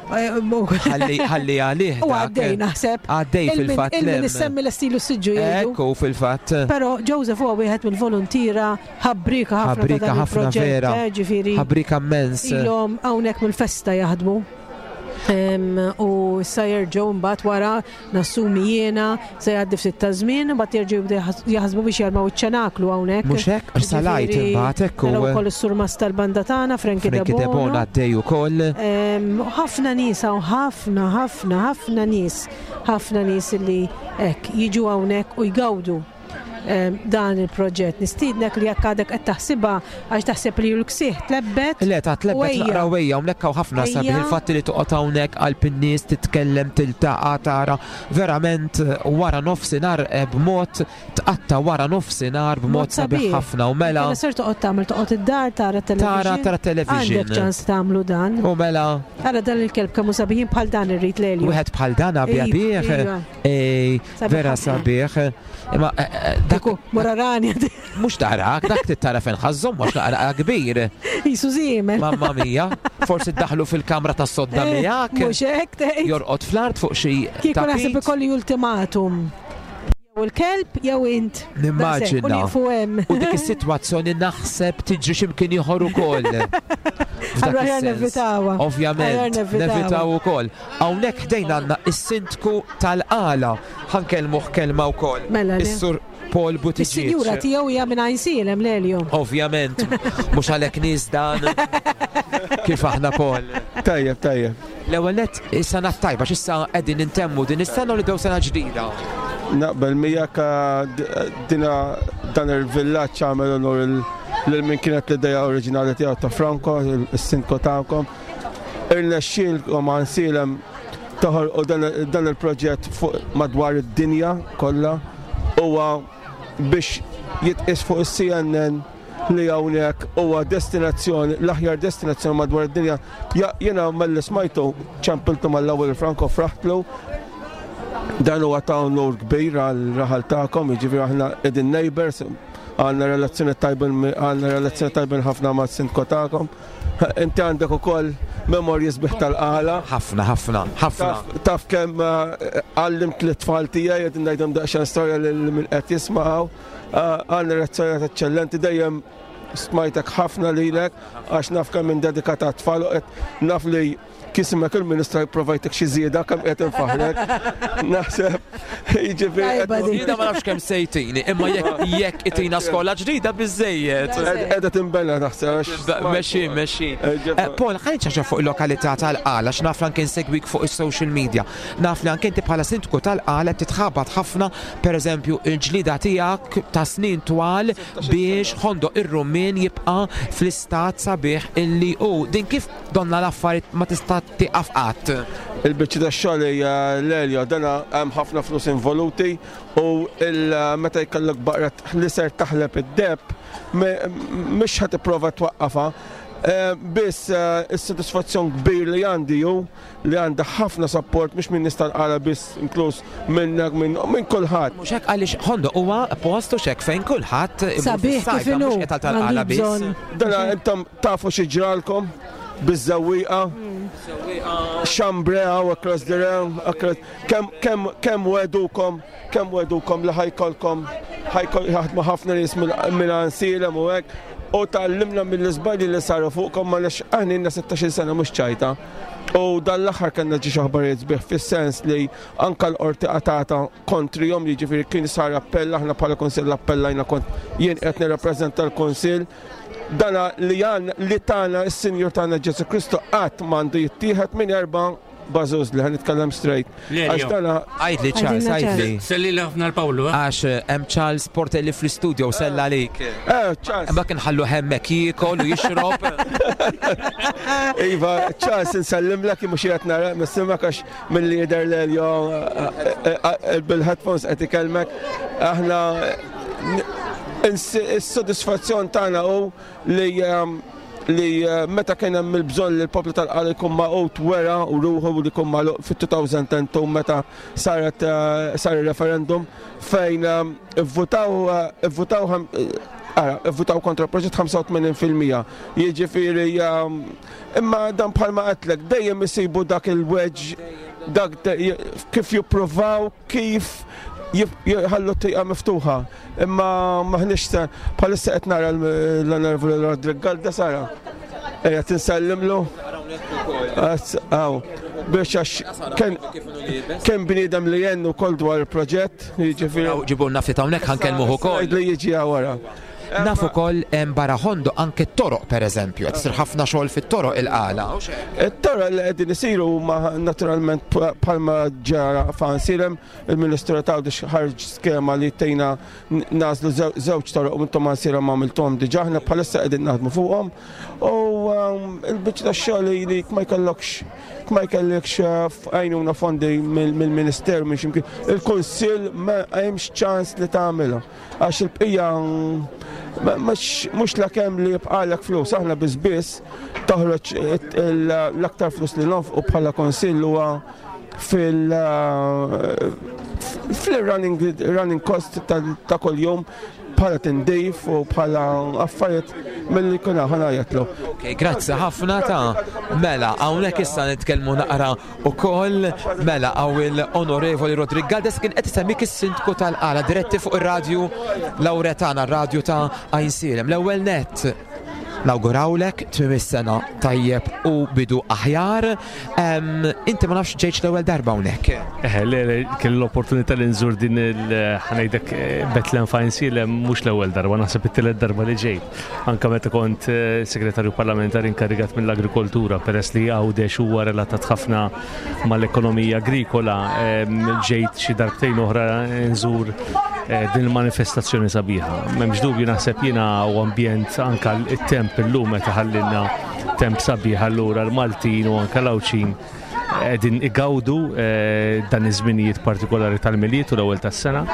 Ħalli ħalli għalih. U għaddej naħseb. Għaddej fil-fatt. Il-min issemmi l-istilu siġġu jgħidu. Ekku fil-fatt. Però Joseph huwa wieħed mill-volontiera ħabrika ħafna Ħabrika ħafna vera. Eh, ġifieri. Ħabrika immens. Ilhom hawnhekk mill-festa jaħdmu. U issa jerġgħu mbagħad wara nassumi jiena se jgħaddi ftit ta' żmien, mbagħad jerġgħu jibdew jaħsbu biex jarmaw iċ-ċenaklu hawnhekk. Mhux hekk, salajt imbagħad hekk u. Ukoll is-surmas tal-banda tagħna Frankie Debono għaddej ukoll. Ħafna nies hawn, ħafna, ħafna, ħafna nies, ħafna nies li hekk jiġu hawnhekk u jgawdu dan il-proġett. Nistiednek li jekk għadek qed taħsibha għax taħseb li l-ksieħ tlebbet. Le, ta' tlebbet naqra wejja, hawnhekk hawn ħafna sabiħ il-fatt li toqgħod hawnhekk qalb in-nies titkellem, tiltaqa', tara verament wara nofsinhar b'mod tqatta' wara nofsinhar b'mod sabiħ ħafna u mela. Mela ser toqgħod tagħmel toqgħod id-dar tara television. Tara tara television. Għandek ċans tagħmlu dan. U mela. Ara dan il-kelb kemm hu sabiħin bħal dan irrid lejlu. Wieħed bħal dan abjad bih. Vera sabiħ. Imma dak morarani. Mhux tarak, dak tittara fejn ħażhom mhux naqra kbir. Jisu żiemel. Mamma mia, forsi ddaħlu fil-kamra tas-sodda miegħek. Mhux hekk tgħid. Jorqod fl-art fuq xi. Kieku naħseb ikolli ultimatum. Jew il-kelb jew int. Nimmaġina. U dik is-sitwazzjoni naħseb tiġri x'imkien ieħor ukoll. Allura ħjar nevitawha. Ovvjament, nevitaw ukoll. Hawnhekk ħdejna għandna is-sindku tal-Qala. Ħankellmuh kelma wkoll. Is-Sur Paul Buttigieg. Is-sinjura tiegħu hija minn Għajnsielem Lelio. Ovvjament, mhux għalhekk nies dan. Kif aħna Paul? Tajjeb, tajjeb. L-ewwel nett is-sena tajba x'issa qegħdin intemmu din is-sena u nibdew sena ġdida. Naqbel miegħek dina dan il-villaġġ għamel onur lil min kienet l-idea oriġinali tiegħu ta' Franco, is-sindku tagħkom. Irnexxielkom Għajnsielem toħolqu dan il-proġett fuq madwar id-dinja kollha huwa biex jitqis fuq is-C N N li hawnhekk huwa destinazzjoni, l-aħjar destinazzjoni madwar id-dinja. Jiena malli smajtu ċampiltu mal-ewwel Franco fraħtlu. Dan huwa ta' onur kbir għal raħal tagħkom, jiġifieri aħna qegħdin neighbors, għandna relazzjoni tajbin, għandna relazzjoni tajbin ħafna mas-sindku tagħkom. Inti għandek ukoll memorji sbieħ tal-Qala. Ħafna, ħafna, ħafna. Taf kemm għallimt l-tfal tiegħi qed ngħidhom daqsxejn storja lil min qed jisma'w. Għandna relazzjoni eċċellenti dejjem smajtek ħafna lilek għax naf kemm indedikata għat-tfal u qed naf li kismek il-ministra jipprovajtek xi żieda kemm qed infaħlek. Naħseb jiġifieri. Jiena ma nafx kemm sejtini, imma jekk jekk itina skola ġdida biżejjed. Qiegħda tinbena naħseb. Mexi, mexi. Paul, ħa nċaċa fuq il-lokalità tal-Qala, x'naf li anke nsegwik fuq is-social media. Naf li anke inti bħala sindku tal-Qala titħabat ħafna, pereżempju, il-ġlida tiegħek ta' snin twal biex Ħondoq ir-Rummien jibqa' fl-istat sabiħ illi hu. Din kif donna l-affarijiet ma tista' tieqaf qatt. Il-biċċa tax-xogħol hija Lelio, dan hemm ħafna flus involuti u meta jkollok baqra li ser taħleb id-deb mhux ħa tipprova twaqqafha. Biss is-sodisfazzjon kbir li għandi hu li għandha ħafna support mhux minn nies tal-Qala biss, inkluż minnek minn kulħadd. Mhux hekk għaliex Ħondoq huwa post u x'hekk fejn kulħadd sabiħ kif inhu mhux qed tal-Qala biss. Dan intom tafu xi ġralkom biż-żewwieqa, xambrea u across the realm, kemm kemm kemm wedukom, kemm wedukom li ħajkolkom ħajkol jaħdmu ħafna nies minn Għajnsielem u hekk, u tgħallimna mill-iżbalji li saru fuqkom għaliex aħna ilna sittax-il sena mhux ċajta. U dan l-aħħar kellna ġie xi aħbarijiet sbieħ fis-sens li anke l-qorti qatata kontrihom, jiġifieri kien sar appell, aħna bħala kunsill appellajna kont jien qed nirrappreżenta l-kunsill. Dana li għan li tagħna is-Sinjur tagħna Ġesu Kristu qatt m'għandu jittieħed minn erba' bażuż li ħanitkellem straight. Għax dana għajdli Charles, għajdli. Selli ħafna l-Pawlu. Għax hemm Charles Portelli fl-istudio sella għalik. Eh, Charles. Imma kien ħallu hemmhekk jiekol u jixrob. Iva, Charles insellimlek mhux qed nara nisimgħek għax milli jidher Lelio bil-headphones qed ikellmek. Aħna is-sodisfazzjon tagħna hu li li meta kien hemm il-bżonn li l-poplu tal-Qala jkun magħqud wera u ruħu li jkun magħluq fit-two thousand and two meta saret sar il-referendum fejn ivvutaw ivvutaw Ara, votaw kontra l-proġett ħamsa u tmenin fil-mija. Jiġifieri, um, imma dan bħalma għedtlek, dejjem isibu dak il-wedge, dak kif jippruvaw, kif jħallu t-tieqa miftuħa. Imma maħniex bħalissa qed nara l-Onorevoli Roderick Galdes ara. Ejja tinsellimlu. Aw, biex għax kien bniedem li jennu kol dwar il-proġett, jiġifieri. Ġibu nafti hawnhekk ħa nkellmuh ukoll. Li jiġi wara. Naf ukoll hemm barra Ħondoq anke t-toroq, pereżempju, qed isir ħafna xogħol fit-toroq il-Qala. It-toroq li qegħdin isiru huma naturalment bħalma ġara f'Għajnsielem, il-Ministru ta' ħarġ skema li tejna nagħżlu żewġ toroq u intom Għajnsielem għamiltuhom diġà, aħna bħalissa qegħdin naħdmu fuqhom. U um, il-biċċa tax-xogħol li ma jkollokx ma jkollokx għajnuna, fondi mill-Ministeru, minn x'imkien, il-Kunsill ma hemmx ċans li tagħmilha. Għax il-bqija mhux la kemm li jibqalek flus, aħna biss biss toħroġ l-aktar flus li nonfqu bħala kunsill huwa fil fil-running running cost ta' kuljum bħala tindif u bħala affarijiet mill-li kuna ħana jatlu. Ok, grazzi ħafna ta' mela, hawnhekk issa nitkellmu naqra ukoll, mela hawn il-Onorevoli Roderick Galdes, kien qed isemmik is-sindku tal-Qala, diretti fuq ir-radju Lauretana, r-radju ta' Għajnsielem. L-ewwel net nawgurawlek tmiem is-sena tajjeb u bidu aħjar. Inti ma nafx ġejtx l-ewwel darba hawnhekk. Eh, le, le, kelli l-opportunità li nżur din il ħa ngħidlek Betlem f'Għajnsielem mhux l-ewwel darba, naħseb it-tielet darba li ġejt. Anka meta kont eh, segretarju parlamentari inkarigat mill-agrikoltura, peress li Għawdex huwa relatat ħafna mal-ekonomija agrikola, ġejt xi darbtejn oħra nżur eh, din il-manifestazzjoni sabiħa. M'hemmx dubju, naħseb jiena u ambjent, anka it-temp illum meta ħallinna temp sabiħ, allura l-Maltin u anka l-Għawdxin qegħdin igawdu eh, dan iż-żminijiet partikolari tal-Milied u l-ewwel tas-sena.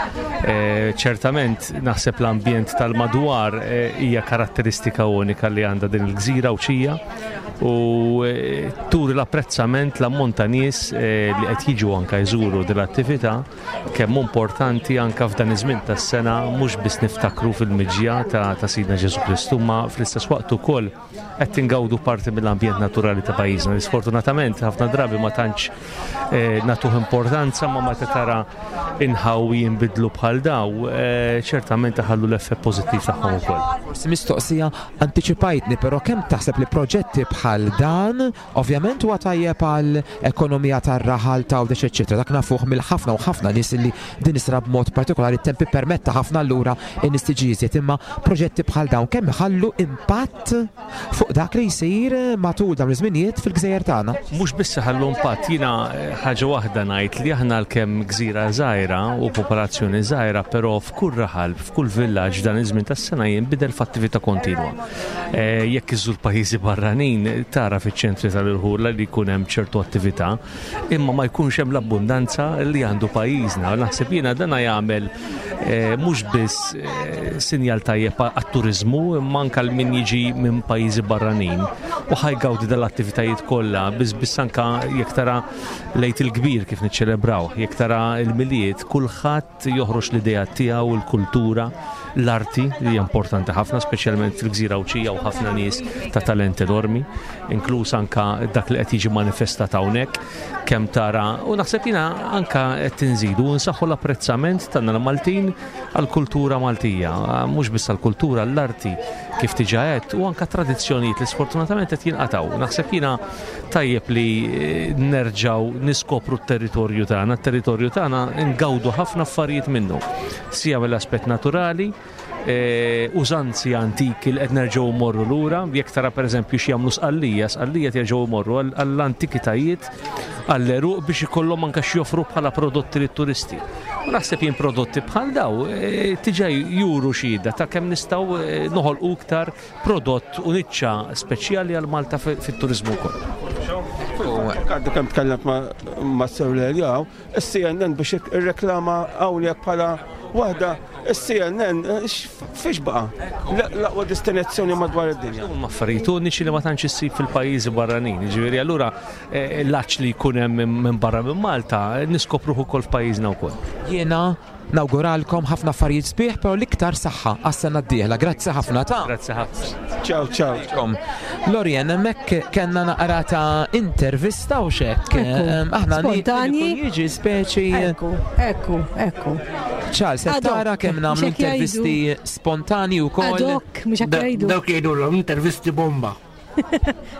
Eh, ċertament naħseb l-ambjent tal-madwar eh, hija karatteristika unika li għandha din il-gżira Għawdxija u turi l-apprezzament, l-ammont ta' nies li qed jiġu anka jżuru din l-attività, kemm importanti anka f'dan iż-żmien tas-sena mhux biss niftakru fil-miġja ta', ta Sidna Ġesu Kristu, ma fl-istess waqt ukoll qed ingawdu parti mill-ambjent naturali ta' pajjiżna. Sfortunatament ħafna drabi ma tantx eh, nagħtuh importanza, ma meta tara inħawi jinbidlu bħal daw, eh, ċertament iħallu l-effett pożittiv tagħhom ukoll. Forsi mistoqsija antiċipajtni, però kemm taħseb li proġetti bħal dan ovvjament huwa tajjeb għal ekonomija tar-raħal ta' Għawdex eċċetera. Dak nafuh mill-ħafna u ħafna nies li din isra b'mod partikolari t-tempi permetta ħafna, allura in-nies tiġi iżjed, imma proġetti bħal dawn kemm iħallu impatt fuq dak li jsir matul dawn iż-żminijiet fil-gżejjer tagħna? Mhux biss ħallu impatt, jiena eh, ħaġa waħda ngħid li aħna għalkemm gżira żgħira u popolazzjoni żgħira, però f'kull raħal, f'kull villaġġ dan iż-żmien tas-sena jinbidel f'attività kontinwa. Eh, jekk iżżur pajjiżi barranin tara fiċ-ċentri tal-irħula li jkun hemm ċertu attività, imma ma jkunx hemm l-abbundanza li għandu pajjiżna. Naħseb jiena dana jagħmel eh, mhux biss sinjal tajjeb għat-turizmu, imma anke min jiġi minn pajjiżi barranin u ħa jgawdi dal-attivitajiet kollha, biss biss anka jekk tara l-Għid il-Kbir kif niċċelebraw, jekk tara il-Milied, kulħadd joħroġ l-idea tiegħu, il-kultura, l-arti li hija importanti ħafna, speċjalment fil-gżira Għawdxija u ħafna nies ta' talent enormi, inkluż anka dak li qed jiġi manifestat hawnhekk, kemm tara, u naħseb jiena anka qed tinżidu nsaħħu l-apprezzament tagħna l-Maltin għall-kultura Maltija, mhux biss għall-kultura, l-arti kif diġà għedt u anka tradizzjonijiet li sfortunatament qed jinqataw. Naħseb jiena tajjeb li eh, nerġaw niskopru t-territorju tagħna, t-territorju tagħna ngawdu ħafna affarijiet minnu, sija mill-aspett naturali, e, użanzi antiki li qed nerġgħu morru lura, jekk tara pereżempju x'jagħmlu Sqallija, Sqallija jerġgħu morru għall-antikitajiet, għall-għeruq biex ikollhom anke x'joffru bħala prodotti lit-turisti. U naħseb jien prodotti bħal daw e, diġà juru xhieda ta' kemm nistgħu e, noħolqu iktar prodott u niċċa speċjali għal Malta fit-turizmu wkoll. Għaddu kemm tkellemt ma' Sir Leljaw, is-C N N biex irreklama hawnhekk bħala Waħda, is-C N N, fiex baqa? L-aqwa destinazzjoni madwar id-dinja. Huma affarijiet uniċi li ma tantx issib fil-pajjiżi barranin. Ġifieri allura eh, l-għatx li jkun hemm minn barra minn Malta niskopruh ukoll f'pajjiżna wkoll. Jiena nawguralkom ħafna affarijiet sbieħ, però l-iktar saħħa għas-sena d-dieħla. Grazzi ħafna ta' Grazzi ħafna. Ciao, ciao. Lorien, hemmhekk kellna naqra ta' intervista u xek. Ekku. Aħna Spontani. Jiġi speċi. Ekku, ekku, ekku. Charles, Ad hoc. tara kemm nagħmlu Mhux hekk jgħidu. intervisti spontani u Ad koll. hoc, mhux hekk jgħidu. Dawk jgħidulhom intervisti bomba.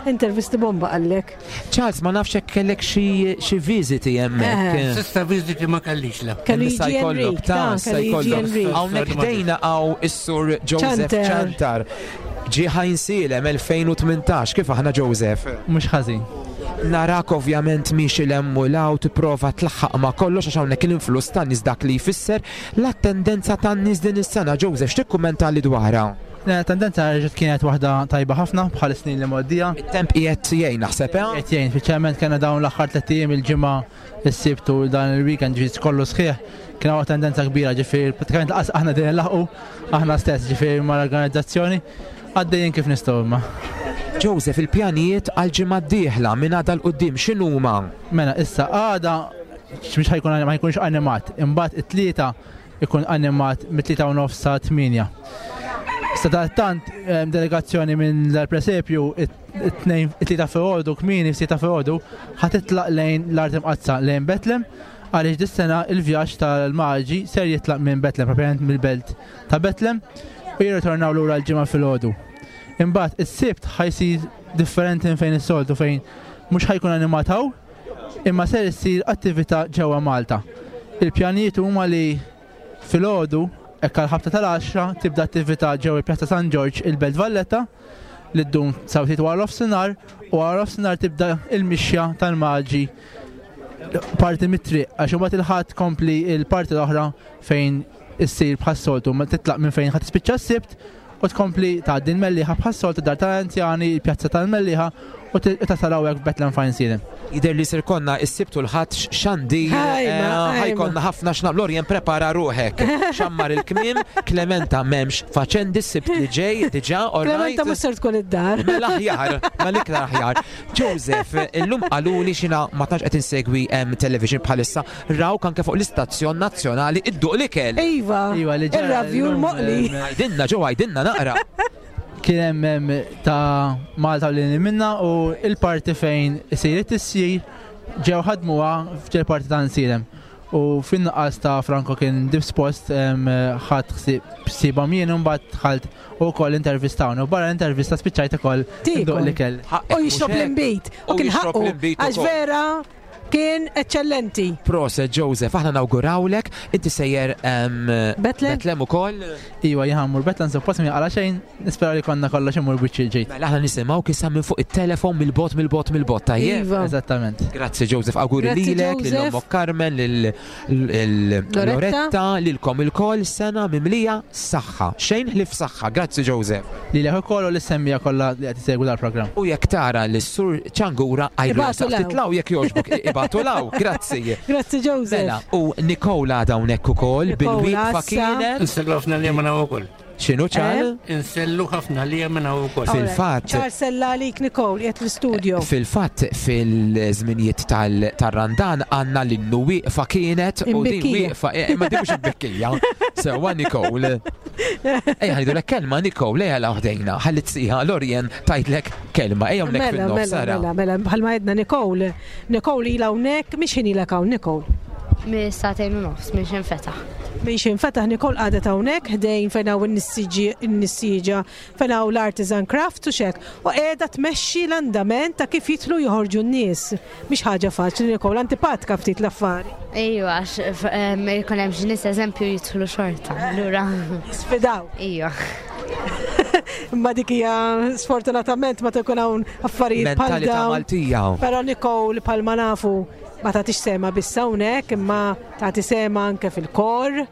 Intervisti bomba għallek. Charles, ma nafx hekk kellek xi xi viżiti hemmhekk. Eh. S'issa viżiti ma kellix la. Kellu Issa jiġi jkollok, Enrik, ta' ta' issa kellu jiġi jkollok. Enrik. Hawnhekk ħdejna hawn is-sur Joseph Ċantar. Ċantar. Ġie Għajnsielem elfejn u tmintax, kif aħna, Joseph? Mhux ħażin. Narak ovvjament miexi 'l hemm u 'l hawn tipprova tlaħħaq ma' kollox għax hawnhekk l-influss tan-nies, dak li jfisser l-attendenza tan-nies din is-sena. Joseph, x'tikkummenta li dwarha? Tendenza reġgħet kienet waħda tajba ħafna bħal snin li mgħoddija. It-temp qiegħed jgħin naħseb, eh? Qed jgħin, speċjalment kellna dawn l-aħħar tliet ijiem, il-Ġimgħa, is-Sibt u dan il-weekend ġiet kollu sħiħ. Kien hawn tendenza kbira, ġifieri pratikament lanqas aħna din nlaħqu aħna stess, ġifieri mal-organizzazzjoni għaddejjin kif nistgħu imma. Joseph, il-pjanijiet għal-ġimgħa d-dieħla minn għada 'l quddiem x'inhuma? Mela, issa għada mhux ħa jkun, ma jkunx animat, imbagħad it-Tlieta ikun animat mit-tlieta u nofs sa tmienja. Sadattant em, delegazzjoni minn l-presepju it-tnejn, it-Tlieta filgħodu kmieni, f'sitta filgħodu, ħa titlaq lejn l-Art Imqaddsa, lejn Betlem, għaliex dis-sena il-vjaġġ tal-Maġi ser jitlaq minn Betlem, propjament mill-belt ta' Betlem, u jirritornaw lura l-Ġimgħa filgħodu. Imbagħad is-Sibt ħa jsir differenti minn fejn is-soltu, fejn mhux ħa jkun animat hawn, imma ser issir attività ġewwa Malta. Il-pjanijiet huma li filgħodu hekk għal ħabta tal-għaxra tibda attività ġewwa il-Pjazza San Ġorġ, il-Belt Valletta, li ddum sa ftit wara nofsinhar, u wara nofsinhar tibda il-mixja tal-Maġi parti mit-triq, għax imbagħad il-Ħadd kompli il-parti l-oħra fejn issir bħas-soltu, ma titlaq minn fejn ħa tispiċċa s-Sibt u tkompli tgħaddi l-Mellieħa bħas-soltu, dar tal-anzjani, il-pjazza tal-Mellieħa, u tasal hawnhekk f'Betlem f'Għajnsielem. Jidher li ser ikollna is-Sibt u l-Ħadd xandir, Ħajma, ħa jkollna ħafna x'nagħmlu. Lorien, prepara ruħek. Xammar il-kmiem, Clementa m'hemmx faċendi s-Sibt li ġej, diġà, all right? Clementa mhux ser tkun id-dar. Mela aħjar, mela iktar aħjar. Joseph, illum qaluli xina ma tantx qed insegwi em, television bħalissa, rawk anke fuq l-istazzjon nazzjonali idduq l-ikel. Iva, Iva, li ġara ir-ravju llum, l-moqli. em, Għidilna ġo, għidilna naqra. Kien hemm hemm ta' Malta li minna u il-parti fejn isir it-tisjir ġew ħadmuha f'ġel parti ta' Għajnsielem. U fin-nuqqas ta' Franco kien dispost, ħadt ħsiebhom jien u mbagħad dħalt u wkoll intervistawni. U barra l-intervista spiċċajt ukoll Tiekol. nduq l-ikel. U jixrob l-imbit. U U kien jixrob ħaqqu. l-inbid Għax ukoll. vera kien eccellenti. Proset Joseph, aħna nawgurawlek, inti sejjer em, Betlem? Betlem ukoll. Iva, jien ħa mmur Betlem, suppost mi għala xejn, nispera li konna kollox imur biċċi ġejt. Mela aħna nisimgħu kissa minn fuq it-telefon mill-bot mill-bot mill-bot, tajjeb. Iva. Eżattament. Grazzi Joseph, auguri Grazzi, lilek, lil Joseph. ommok Carmen, lil lil- Loretta. Loretta, lilkom ilkoll, sena mimlija saħħa. Xejn ħlief saħħa. Grazzi Joseph. Lilek ukoll u lis-semmiegħa kollha li qed isegwu dal-programm. U jekk tara l-sur Ċangura għajdu Ibagħtu 'l hawn. titlaw jekk jogħġbok, ibagħtu 'l hawn. Grazzi. Grazzi Joseph. Mela, u Nikola dawnek ukoll Nikola, bil-wieqfa issa. kienet. Insellu ħafna li minn ukoll. X'inhu ċar? Insellu ħafna li minn ukoll. Fil-fatt- Charles sella għalik Nicole, qiegħed l-studio. Fil-fatt, fil-żminijiet tal- tal-Randan għandna l-innu wieqfa kienet u din Imbikkija. wieqfa, eh, ma din mhux imbikkija. Sewwa Nicole. Ejja ħa ngħidulek kelma Nicole, ejja la ħdejna, ħalli tsiħa Lorien tajtlek kelma, ejja hawnhekk Mela, fin-nofs mela, sara. mela, mela, bħalma għedna Nicole. Nicole ilha hawnhekk, mhix ħin ilek hawn Nicole. Minn sagħtejn u nofs, minn x'ħin fetaħ. Minn x'ħin fetaħ Nicole qagħdet hawnhekk ħdejn fejn hawn in-nissieġa, fejn hawn l-artisan craft u xek. U qiegħda tmexxi l-andament ta' kif jidħlu joħorġu n-nies. Mhix ħaġa faċli Nicole, antipatika ftit l-affari. Ejwa, għax f- em, jkun hemm xi nies eżempju jidħlu xorta. Allura. Sfidaw. Ejwa. Imma dik hija sfortunatament ma tkun hawn affarijiet bħal Mentalità dawn. Maltija. Però Nicole bħalma nafu ma tagħtix sehemha biss hawnhekk, imma tagħti sehemha anke fil-kor.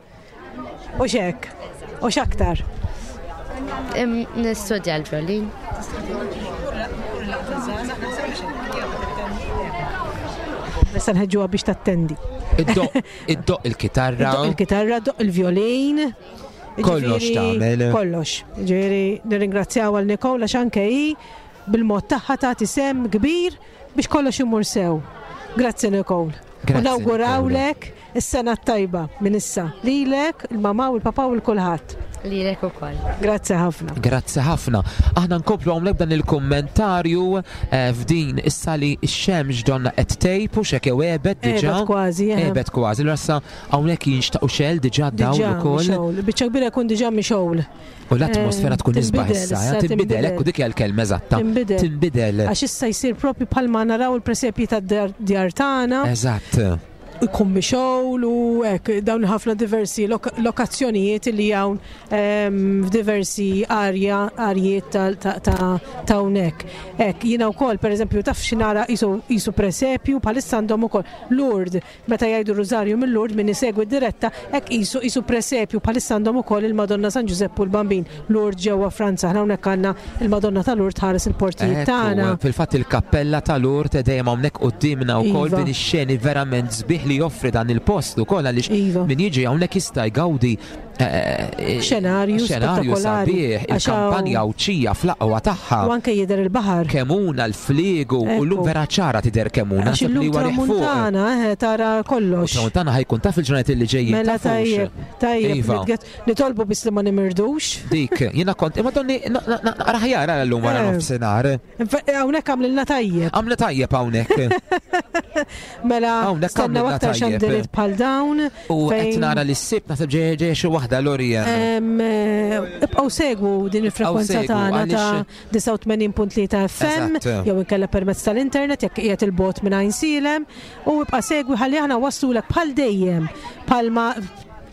U xek, u x'aktar. Im- Nistudja l-violin. Issa nħeġġuha biex tattendi. Iddoqq il-kitarra. Iddoqq il-kitarra, iddoqq il-violin. Kollox Ġifieri, tagħmel. Kollox. Ġifieri nirringrazzjaw għal Nicole għax anke hi bil-mod tagħha tagħti sehem kbir biex kollox imur sew. Grazzi Nicole. U Grazzi, nawgurawlek is-sena t-tajba minn issa. Lilek, il-mama u l-papa u l-kulħadd. Lilek ukoll. Grazzi ħafna. Grazzi ħafna. Aħna nkomplu hawnhekk dan il-kommentarju eh, f'din issa li x-xemx donna qed tgħib u xek jew għebet diġà. Għebet kważi, eh. Għebet kważi. Allura issa hawnhekk jinxtaqu xel diġà dawl Diġà ukoll. mixgħul. Biċċa kbira jkun diġà mixgħul. U l-atmosfera tkun isbaħ Tinbidel issa, issa, eh, tinbidel, ekku dik hija l-kelma eżatta. Tinbidel. Tinbidel. Għax issa jsir propju bħalma naraw il-presepji tad-djar tagħna. Eżatt. Ikun mixgħul u hekk dawn ħafna diversi lok lokazzjonijiet li hawn ehm, f'diversi arja arjiet ta' ta' ta' ta' hawnhekk. Hekk jiena wkoll pereżempju taf xi nara qisu qisu presepju bħalissa għandhom ukoll Lourdes meta jgħidu Rużarju minn Lourdes min isegwi diretta hekk qisu qisu presepju bħalissa għandhom ukoll il-Madonna San Ġużeppu l-Bambin Lourdes ġewwa Franza. Aħna hawnhekk għandna il-Madonna ta' Lourdes ħares il-portijiet tagħna. Ekku, fil-fatt il-kappella ta' Lourdes dejjem hawnhekk quddiemna wkoll Iva. din ix-xeni verament sbieħ li joffri dan il-post ukoll għaliex Iva. min jiġi hawnhekk jista' jgawdi eh, eh, Xenarju xenarju spettakolari. sabiħ, Għax hawn- il-kampanja Għawdxija fl-aqwa tagħha. U anke jidher il-baħar. Kemuna l-fliegu u llum Ekku. vera ċara tidher Kemuna. Għax naħseb li illum huwa riħ fuq. tramuntana, eh, tara kollox. Tramuntana ħa jkun taf il-ġranet li ġejjin. Mela tafux. tajjeb, tajjeb, Iva. nitget- nitolbu biss li ma nimirdux. Dik, jiena kont, imma donni, raħjar għal llum wara Eh. nofsinhar. Infa- Hawnhekk għamlilna tajjeb. Għamla tajjeb hawnhekk. Mela Hawnhekk stennew għamlilna aktar tajjeb. xandiriet bħal dawn. U qed fejn, nara li s-sibt naħseb ġej ġej xi waħda Lorien. em, eh, Ibqgħu segwu din il-frekwenza segwu, tagħna ta' għaliex- disgħa u tmenin punt tlieta F M Eżatt. jew inkella permezz tal-internet jekk qiegħed il-bot minn Għajnsielem u ibqa' segwi ħalli aħna wassulek bħal dejjem bħalma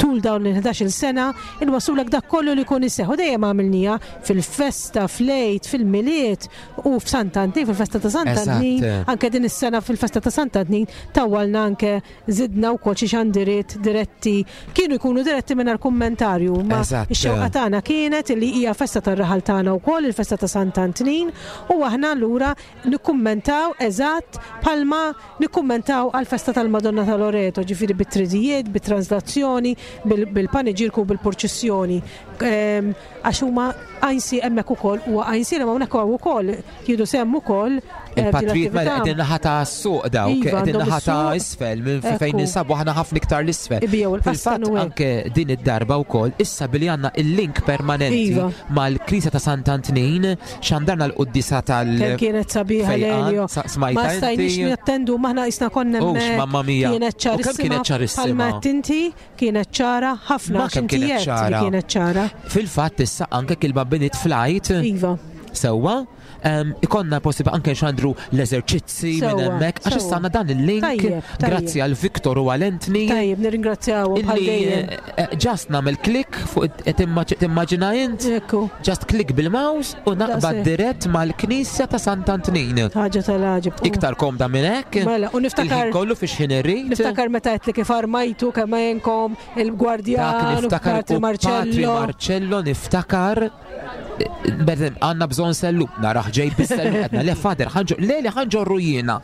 tul dawn il-ħdax-il sena inwassulek dak kollu li jkun iseħħ. U dejjem għamilnija fil-festa, fl-Għid, fil-Milied u f'Sant'Antnin, fil-festa ta' Sant'Antnin, Eżatt. anke din is-sena fil-festa ta' Sant'Antnin tawwalna anke zidna wkoll xi xandiriet diretti, kienu jkunu diretti mingħajr kummentarju, ma Eżatt. ix-xewqa tagħna kienet li hija festa tar-raħal tagħna wkoll, il-festa ta' Sant'Antnin, u aħna allura nikkummentaw eżatt bħalma nikkummentaw għal-festa tal-Madonna ta' Loreto, ġifieri bit-tridijiet, bit-translazzjoni, bil- bil-paniġirku u bil-purċissjoni. Ehm, Għax huma għajnsi hemmhekk ukoll huwa għajnsi li hawnhekk hawn ukoll jieħdu sehem ukoll eh, f'din Il-patrijiet mela l-attività. qegħdin naħa ta' suq dawk, Iva, qegħdin għandhom naħa ta' is-suq. isfel minn fejn Ekku. ninsabu aħna ħafna iktar l-isfel. Ibijaw il-qastan Fil-fatt u hekk. anke din id-darba wkoll issa billi għandna il-link permanenti Iva. mal-Knisja ta' Sant'Antnin xandarna l-quddisa tal- Kemm kienet sabiħa fejqan, Lelio. sa- smajta Ma stajniex inti? nattendu maħna jisna konna Ux, hemmhekk. mamma mia. Kienet U kemm ċarissima. kienet ċarissima? Bħalma għedt inti kienet ċara ħafna. Ma għax kemm inti kienet għedt li ċara. Kienet ċara. Fil-fatt issa anke il-babbiniet flight Iva. sewwa em, ikonna possibbli anke xandru l-eżerċizzi minn Sewwa, hemmhekk għax issa sewwa. għandna dan il-link Tajjeb, tajjeb. grazzi għal Viktor u għal Anthony Tajjeb, nirringrazzjawhom bħal illi dejjem. eh, eh, just nagħmel klik fuq eh, timmaġ- timmaġina int Ekku, just klik bil-mouse u naqbad Daqshekk. dirett mal-Knisja ta' Sant'Antnin. ħaġa tal-għaġeb. Iktar komda minn hekk. Mela, u niftakar Il-ħin kollu fiex ħin irrid. Niftakar meta għedt li kif armajtu kemm jenkom il-gwardjan Dak u niftakar Patri u Patri Marcello. Marcello niftakar Berdem, għanna bżon sellu, naraħ ġej bis-sellu, għedna le fader, ħa nġo, le li ħa nġorru jiena.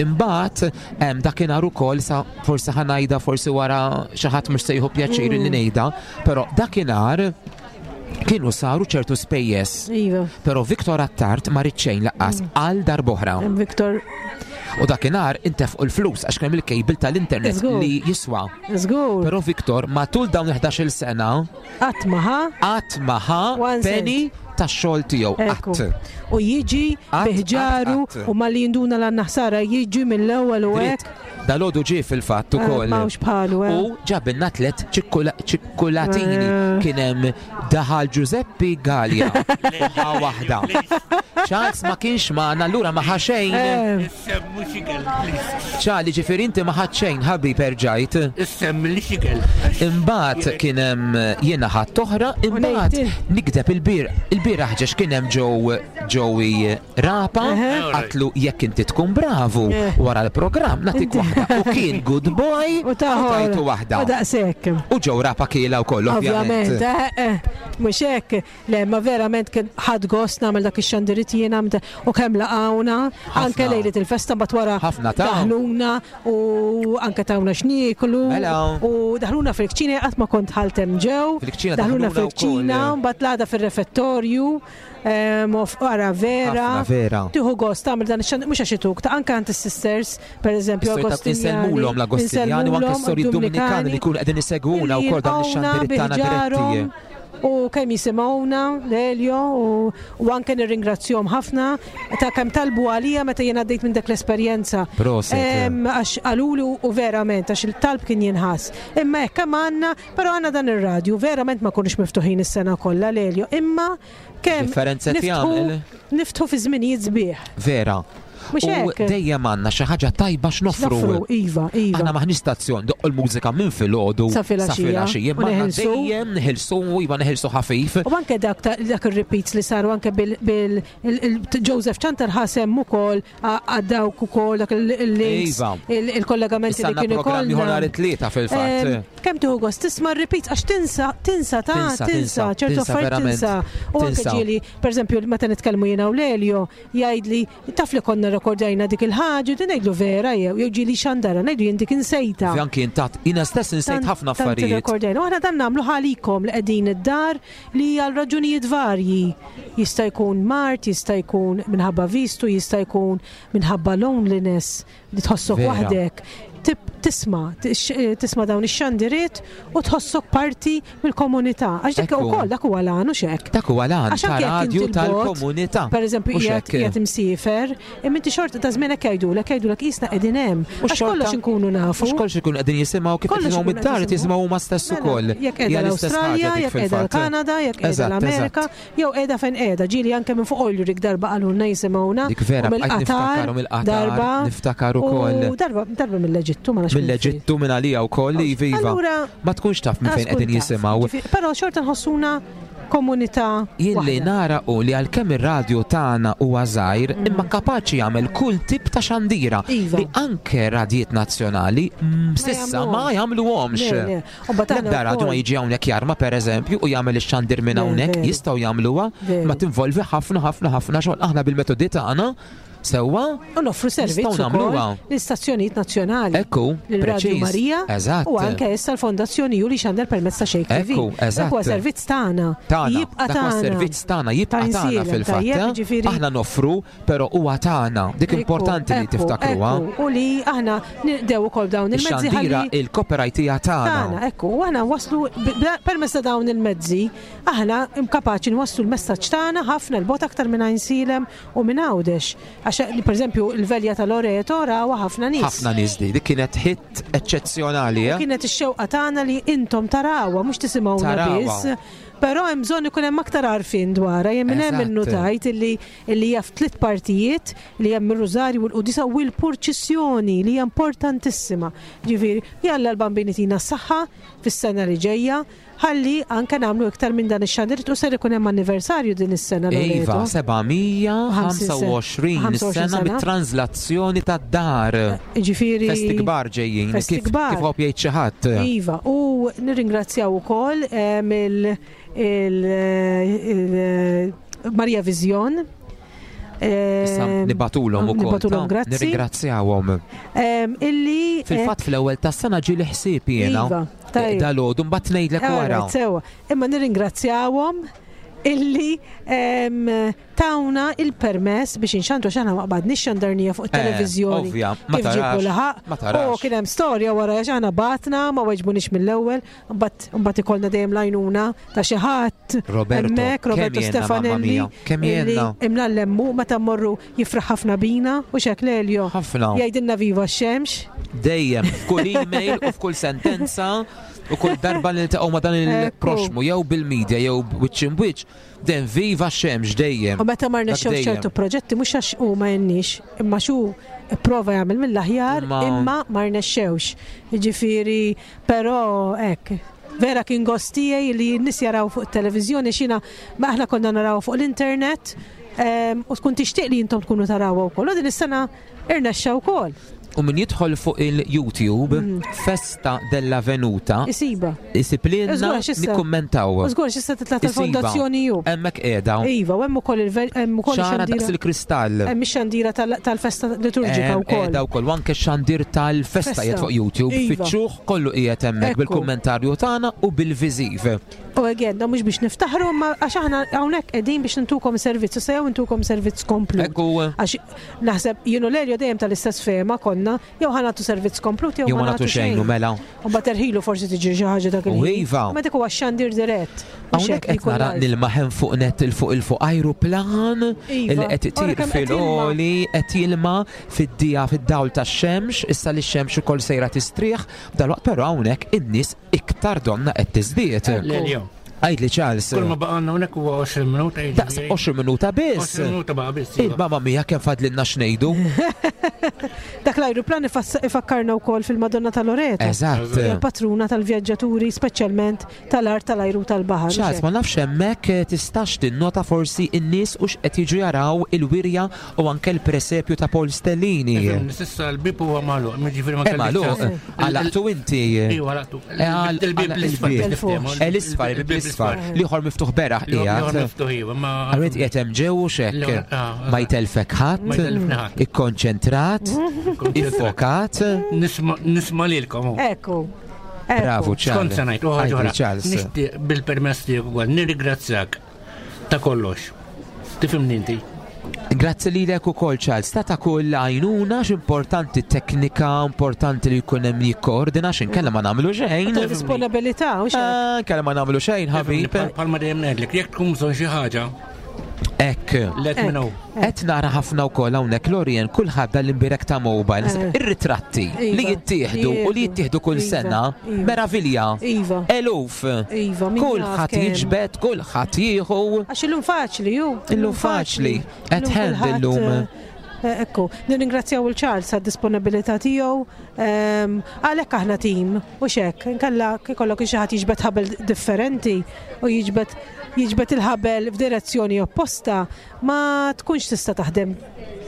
Imbagħad em, dakinhar ukoll sa forsi ħa ngħidha forsi wara xi ħadd mhux se jieħu pjaċir li ngħidha, però dakinhar kienu saru ċertu spejjeż. Iva, Però Viktor Attard ma ried xejn lanqas għal darb'oħra. hemm Viktor, U dakinhar intefqu l-flus għax kemm il-kejbil tal-internet Żgur. li jiswa. żgur, Però Viktor matul dawn il-ħdax-il sena qatt ma ħa, qatt ma ħa One cent. penny tax-xogħol tiegħu Ekku. qatt. U jiġi Qatt, biħġaru qatt, qatt. u malli jinduna l ħsara jiġi mill-ewwel u Dritt. hekk. Dalgħodu ġie fil-fatt Eh, ukoll. M'hawnx bħalu, eh. U ġabilna tliet ċikkola- ċikkolatini Eh. kien hemm daħal Giuseppe Gallia. Ħa waħda. Charles ma kienx magħna allura ma ħa xejn. Eh, Issem mhux ikel, please. Charlie ġifieri inti ma ħadt xejn ħabib erġajt. Issem li xikel. Imbagħad kien hemm jiena ħadd oħra, imbagħad ngħid nikdeb il-bir il-bieraħ ġex kien hemm Joe Joey Rapa Eħe. għatlu jekk inti tkun bravu Eh. wara l-programm nagħtik waħda. U kien good boy U taħor. tajtu waħda. U daqshekk. U Joe Rapa kiela wkoll Ovvjament, ovvjament. eh, eh, mhux hekk, le, ma verament kien ħadd gost nagħmel dak ix-xandiriet ngħid jiena mta- u kemm laqgħuna, anke lejliet il-festa mbagħad wara Ħafna ta' daħluna u anke tawna x'nieklu Mela. u daħluna fil-kċina qatt ma kont ħaltem ġew. Fil-kċina daħluna daħluna wkoll. fil-kċina, mbagħad l-għada fir-refettorju, em, u ara vera. Ħafna vera. Tieħu gost tagħmel dan ix-xandir mhux għax ituk, ta' anke għand is-sisters, pereżempju Sori ta' Agostinjani. Insellmulhom l-Agostinjani u anke s-sori Dominikani li jkunu qegħdin isegwuna wkoll dan ix-xandir tagħna diretti. U kemm jisimgħuna Lelio u, u anke nirringrazzjahom ħafna ta' kemm talbu għalija meta jien għaddejt minn dak l-esperjenza. Proset. Em, Għax qalulu u verament għax il-talb kien jinħass. Imma hekk kemm għandna, però għandna dan ir-radju verament ma konniex miftuħin is-sena kollha Lelio, imma kemm Differenza niftħu jagħmel. niftħu fi żminijiet sbieħ. Vera. Mhux U hekk? dejjem għandna xi ħaġa tajba x'noffru. Noffru, iva, iva. Aħna maħniex stazzjon, doq il-mużika minn filgħodu Sa filgħaxija, filgħaxija, u imma aħna neħilsu. dejjem neħilsu iva neħilsu ħafif. U anke dak ta- dak ir-repeats li saru anke bil, bil il, il, Joseph Chantar ħasem ukoll għaddawk ukoll dak il- il-links, Iva. il- il-kollegamenti Issa li għandna kienu programm ieħor nhar ikollna. it-tlieta fil-fatt. Em, Kemm tieħu gost tisma' r-repeats għax tinsa, tinsa ta' Tinsa, tinsa, tinsa, ċertu tinsa affarijiet verament. tinsa. U anke Tinsa. ġieli, pereżempju, meta nitkellmu jiena u Lelio, jgħidli taf li konna rekordajna dik il-ħaġa, din ngħidlu vera jew jew ġieli xandara, ngħidu jien dik insejta. Anki intat, jiena stess insejt Tant- ħafna tant affarijiet. irrekordajna. U aħna dan nagħmlu ħalikom li qegħdin id-dar li għal raġunijiet varji. Jista' jkun mart, jista' jkun minħabba vistu, jista' jkun minħabba loneliness li tħossok Vera. waħdek. Tib- Tisma, tix- tisma dawn ix-xandiriet u tħossok parti mill-komunità. Għax dik Ekku. ukoll dak huwa l-għan u xek. Dak huwa l-għan Għax ta' anke jekk radju inti l-bot, tal-komunità. Per eżempju, Mhux qiegħed hekk. qiegħed imsiefer, imma inti xorta ta' żmienek jgħidulek, jgħidulek qisna qegħdin hemm. U Għax xorta- kollox inkunu nafu. Mhux kollox ikun qegħdin jisimgħu kif Kollox jisimgħu ikun mid-dar qed qed jisimgħu huma stess Mela, ukoll. Jekk qiegħda Hija l-istess ħaġa l-Awstralja, dik jekk qiegħda fil-fatt. l-Kanada, jekk qiegħda Eżatt, l-Amerika, jew qiegħda fejn qiegħda. Ġieli anke minn fuq Oil Rig darba qalulna jisimgħuna. Dik vera, u bqajt mill-Qatar, niftakar u mill-Qatar, darba. niftakar ukoll. U darba darba mill-Eġittu ma nafx minn fejn. Mill-Eġittu minn għalija wkoll li viva. Allura, Ma tkunx taf minn fejn tkun qegħdin taf. jisimgħu. Ġifieri, Però xorta nħossuna komunità Jien li waħda. nara u li għalkemm ir-radju tagħna huwa żgħir, imma kapaċi jagħmel kull tip ta' xandira Mm. Iva. li anke radjiet nazzjonali mm, sissa ma jagħmluhomx. Le, le. U mbagħad aħna L-ebda radju ma wkoll- jiġi hawnhekk jarma pereżempju u jagħmel ix-xandir minn Le, hawnhekk, veru. jistgħu jagħmluha, Veru. ma tinvolvi ħafna ħafna ħafna xogħol aħna bil-metodi tagħna sewwa U noffru servizz Nistgħu ukoll nagħmluha. l-istazzjonijiet nazzjonali. Ekku, L-Radio preċiż. Marija Eżatt. u anke issa l-Fondazzjoni Juli Xandel permezz ta' Xejk T V. Ekku, eżatt. Dak huwa servizz tagħna. Tagħna, Jibqa' dak huwa tagħna. servizz tagħna, jibqa' Ta' tagħna insielem, fil-fatt. tajjeb, eh? ġifieri- Aħna noffru, però huwa tagħna. Dik Ekku, importanti li ekku, tiftakruha. ekku. U li aħna ndew ukoll dawn il-mezzi Ix-xandira ħalli il-copyright hija tagħna, tagħna. ekku, u aħna waslu permezz ta' dawn il-mezzi, aħna kapaċi nwasslu l-messaġġ tagħna ħafna l-bot aktar minn Għajnsielem u minn Għawdex. Għax pereżempju l-velja ta' Loreto rawha ħafna nies. Ħafna nies di, dik kienet hit eċċezzjonali, eh? Kienet ix-xewqa tagħna li intom tarawha mhux tisimgħuna Tarawha. biss. Però hemm bżonn ikun hemm aktar għarfien dwarha, jien minn hemm Eżatt. innutajt illi illi hija f'tliet partijiet li hemm ir-Rużarju u l-Qudisa u l-purċissjoni li hija importantissima. Ġifieri, jalla l-bambini tina s-saħħa fis-sena li ġejja, ħalli anke nagħmlu iktar minn dan ix-xandir u ser ikun hemm anniversarju din is-sena Iva, Loreto. seba' mija ħamsa u għoxrin ħamsa u għoxrin sena sena. mit-translazzjoni tad-dar. Ġifieri Festi kbar ġejjin, Festi kif kbar. kif għob jgħid xi ħadd. Iva, u nirringrazzjaw ukoll em, il, il, il, Maria Vision. Issa Em, nibatulhom ukoll. Nibatulhom ta' grazzi. Nirringrazzjawhom. Em, illi eh, Fil-fatt fl-ewwel tas-sena ġieli ħsieb jiena. Iva, tajjeb. Dalgħodu mbagħad ngħidlek wara. Alright, sewa. Imma nirringrazzjawhom illi em, tawna il-permess biex inxandru għax aħna ma qbadniex xandarnija fuq Eh, it-televiżjoni. ovvja, ma Kif ġibu tarax, laħaq. ma tarax. U kien hemm storja wara għax aħna batna ma weġbunix mill-ewwel, mbagħad mbagħad ikollna dejjem lajnuna ta' xi ħadd. Roberto, Hemmhekk kemm Roberto jenna, mamma Stefanelli. mia, kemm illi jenna. Imlallemmu meta mmorru jifraħ ħafna bina u xek Lelio. Ħafna. Jgħidilna viva x-xemx. Dejjem, f'kull email u f'kull sentenza u kull darba li niltaqgħu ma' dan il-proxmu jew bil-media jew wiċċ in wiċċ, den viva x-xemx dejjem. U meta ma Dak rnexxewx dejjem. ċertu proġetti mhux għax hu ma jennix, imma xu prova jagħmel mill-aħjar Imma- imma ma rnexxewx. Jiġifieri, però hekk. Vera kien gost tiegħi li n-nies jaraw fuq it-televiżjoni xina ma aħna konna naraw fuq l-internet em, u tkun tixtieq li intom tkunu tarawha wkoll. U din is-sena irnexxa wkoll. U min jidħol fuq il-YouTube, Festa della Venuta, Isiba. isib lilna Żgur, għax issa- nikkummentaw. U żgur x'issa titla' Isiba. tal-fondazzjoni ju. Hemmhekk qiegħda. Iva, u hemm ukoll il-ver- hemm ukoll ċara daqs ix-xandira. il-kristall. Hemm ix-xandira tal- tal-festa liturġika Hemm wkoll. qiegħda wkoll u anke x-xandir tal-festa Festa. qiegħed fuq YouTube. Iva. Fittxuh kollu qiegħed hemmhekk Ekku. bil-kummentarju tagħna u bil-viżiv. U again, da mhux biex niftaħru, ma għax aħna hawnhekk qegħdin biex nintukom servizz, issa jew intukom servizz komplut. Ekku. Għax naħseb jienu Lelio dejjem tal-istess fehma konna, jew ħa nagħtu servizz komplut jew Jew ma nagħtu xejn u mela. U mbagħad terħilu forsi tiġi xi ħaġa dak U il-ħin. iva. Ma dik huwa x-xandir dirett. Mhux Hawnhekk hekk li qed jkun nara live. nilmaħem fuq net il fuq il fuq ajruplan Iva. illi qed Ora itir kemm qed jilma. fil-oli qed jilma fid-dija fid-dawl tax-xemx, issa li x-xemx ukoll sejra tistrieħ, dalwaqt però hawnhekk in-nies iktar donna qed tiżdied. Lelio. Għidli Charles. Kull ma baqgħalna hawnhekk huwa għoxrin minuta. Daqs għoxrin minuta biss. għoxrin minuta baqa' biss. iva. Il-mamma mia kemm fadlilna x'ngħidu. Dak l-ajruplan ifass- ifakkarna wkoll fil-Madonna ta' Loreto. Eżatt. Hija patruna tal-vjaġġaturi, speċjalment tal-art tal-ajru tal-baħar. Charles, ma nafx hemmhekk eh, tistax tinnota forsi n-nies u x'qed jiġu jaraw il-wirja u anke l-presepju ta' Paul Stellini. Ifhem, S'issa l-bib huwa magħluq, jiġifieri ma Eh, kellix magħluq, ċans. għalaqtu inti. Iva, għalaqtu. Eh, għal- Il-bib għal- l-isfar. il-bib. biex niftehmu. Eh, L-isfar, il-bib l-isfar. L-ieħor miftuħ beraħ L-ieħor qiegħed. miftuħ, iva, ma. Għarrit qiegħed hemm ġew u xekk. L-ieħor, ah, Ma jtelfek ħadd, Ma jtelfni ħadd. ikkonċentrat, iffokat. Nisma' nisma' lilkom. hu. Ekku. Bravo, Charles. Skont se ngħid, u ħaġa Għidli, oħra. Charles. Nixtieq bil-permess tiegħek ukoll nirringrazzjak ta' kollox. Tifhimni inti? Grazzi lilek ukoll Charles, ta' ta' kull għajnuna x'importanti teknika, importanti li jkun hemm jikkoordina x'inkella ma nagħmlu xejn. Ta' disponibilità, u xek. Ah, Inkella ma nagħmlu xejn, ħabib. Palma dejjem ngħidlek, jekk tkun bżonn xi ħaġa, Ekk. let me know. Qed nara ħafna wkoll hawnhekk Lorien kulħadd l-imbirek ta' mobile, Eh. ir-ritratti li Iva. jittieħdu u li jittieħdu kull Iva. sena, Iva. meravilja. Iva. Eluf. Iva, min jaf Kulħadd kemm. jiġbed, kulħadd jieħu. Għax illum faċli, ju. Illum faċli. At Illum hand kulħadd, illum. eh, Ekku, nirringrazzjaw il-Charles għad disponibilità tiegħu. ehm, Għalhekk aħna tim u xek, inkella ikollok xi ħadd jiġbed ħabel differenti u jiġbed jiġbed il-ħabel f'direzzjoni opposta, ma tkunx tista' taħdem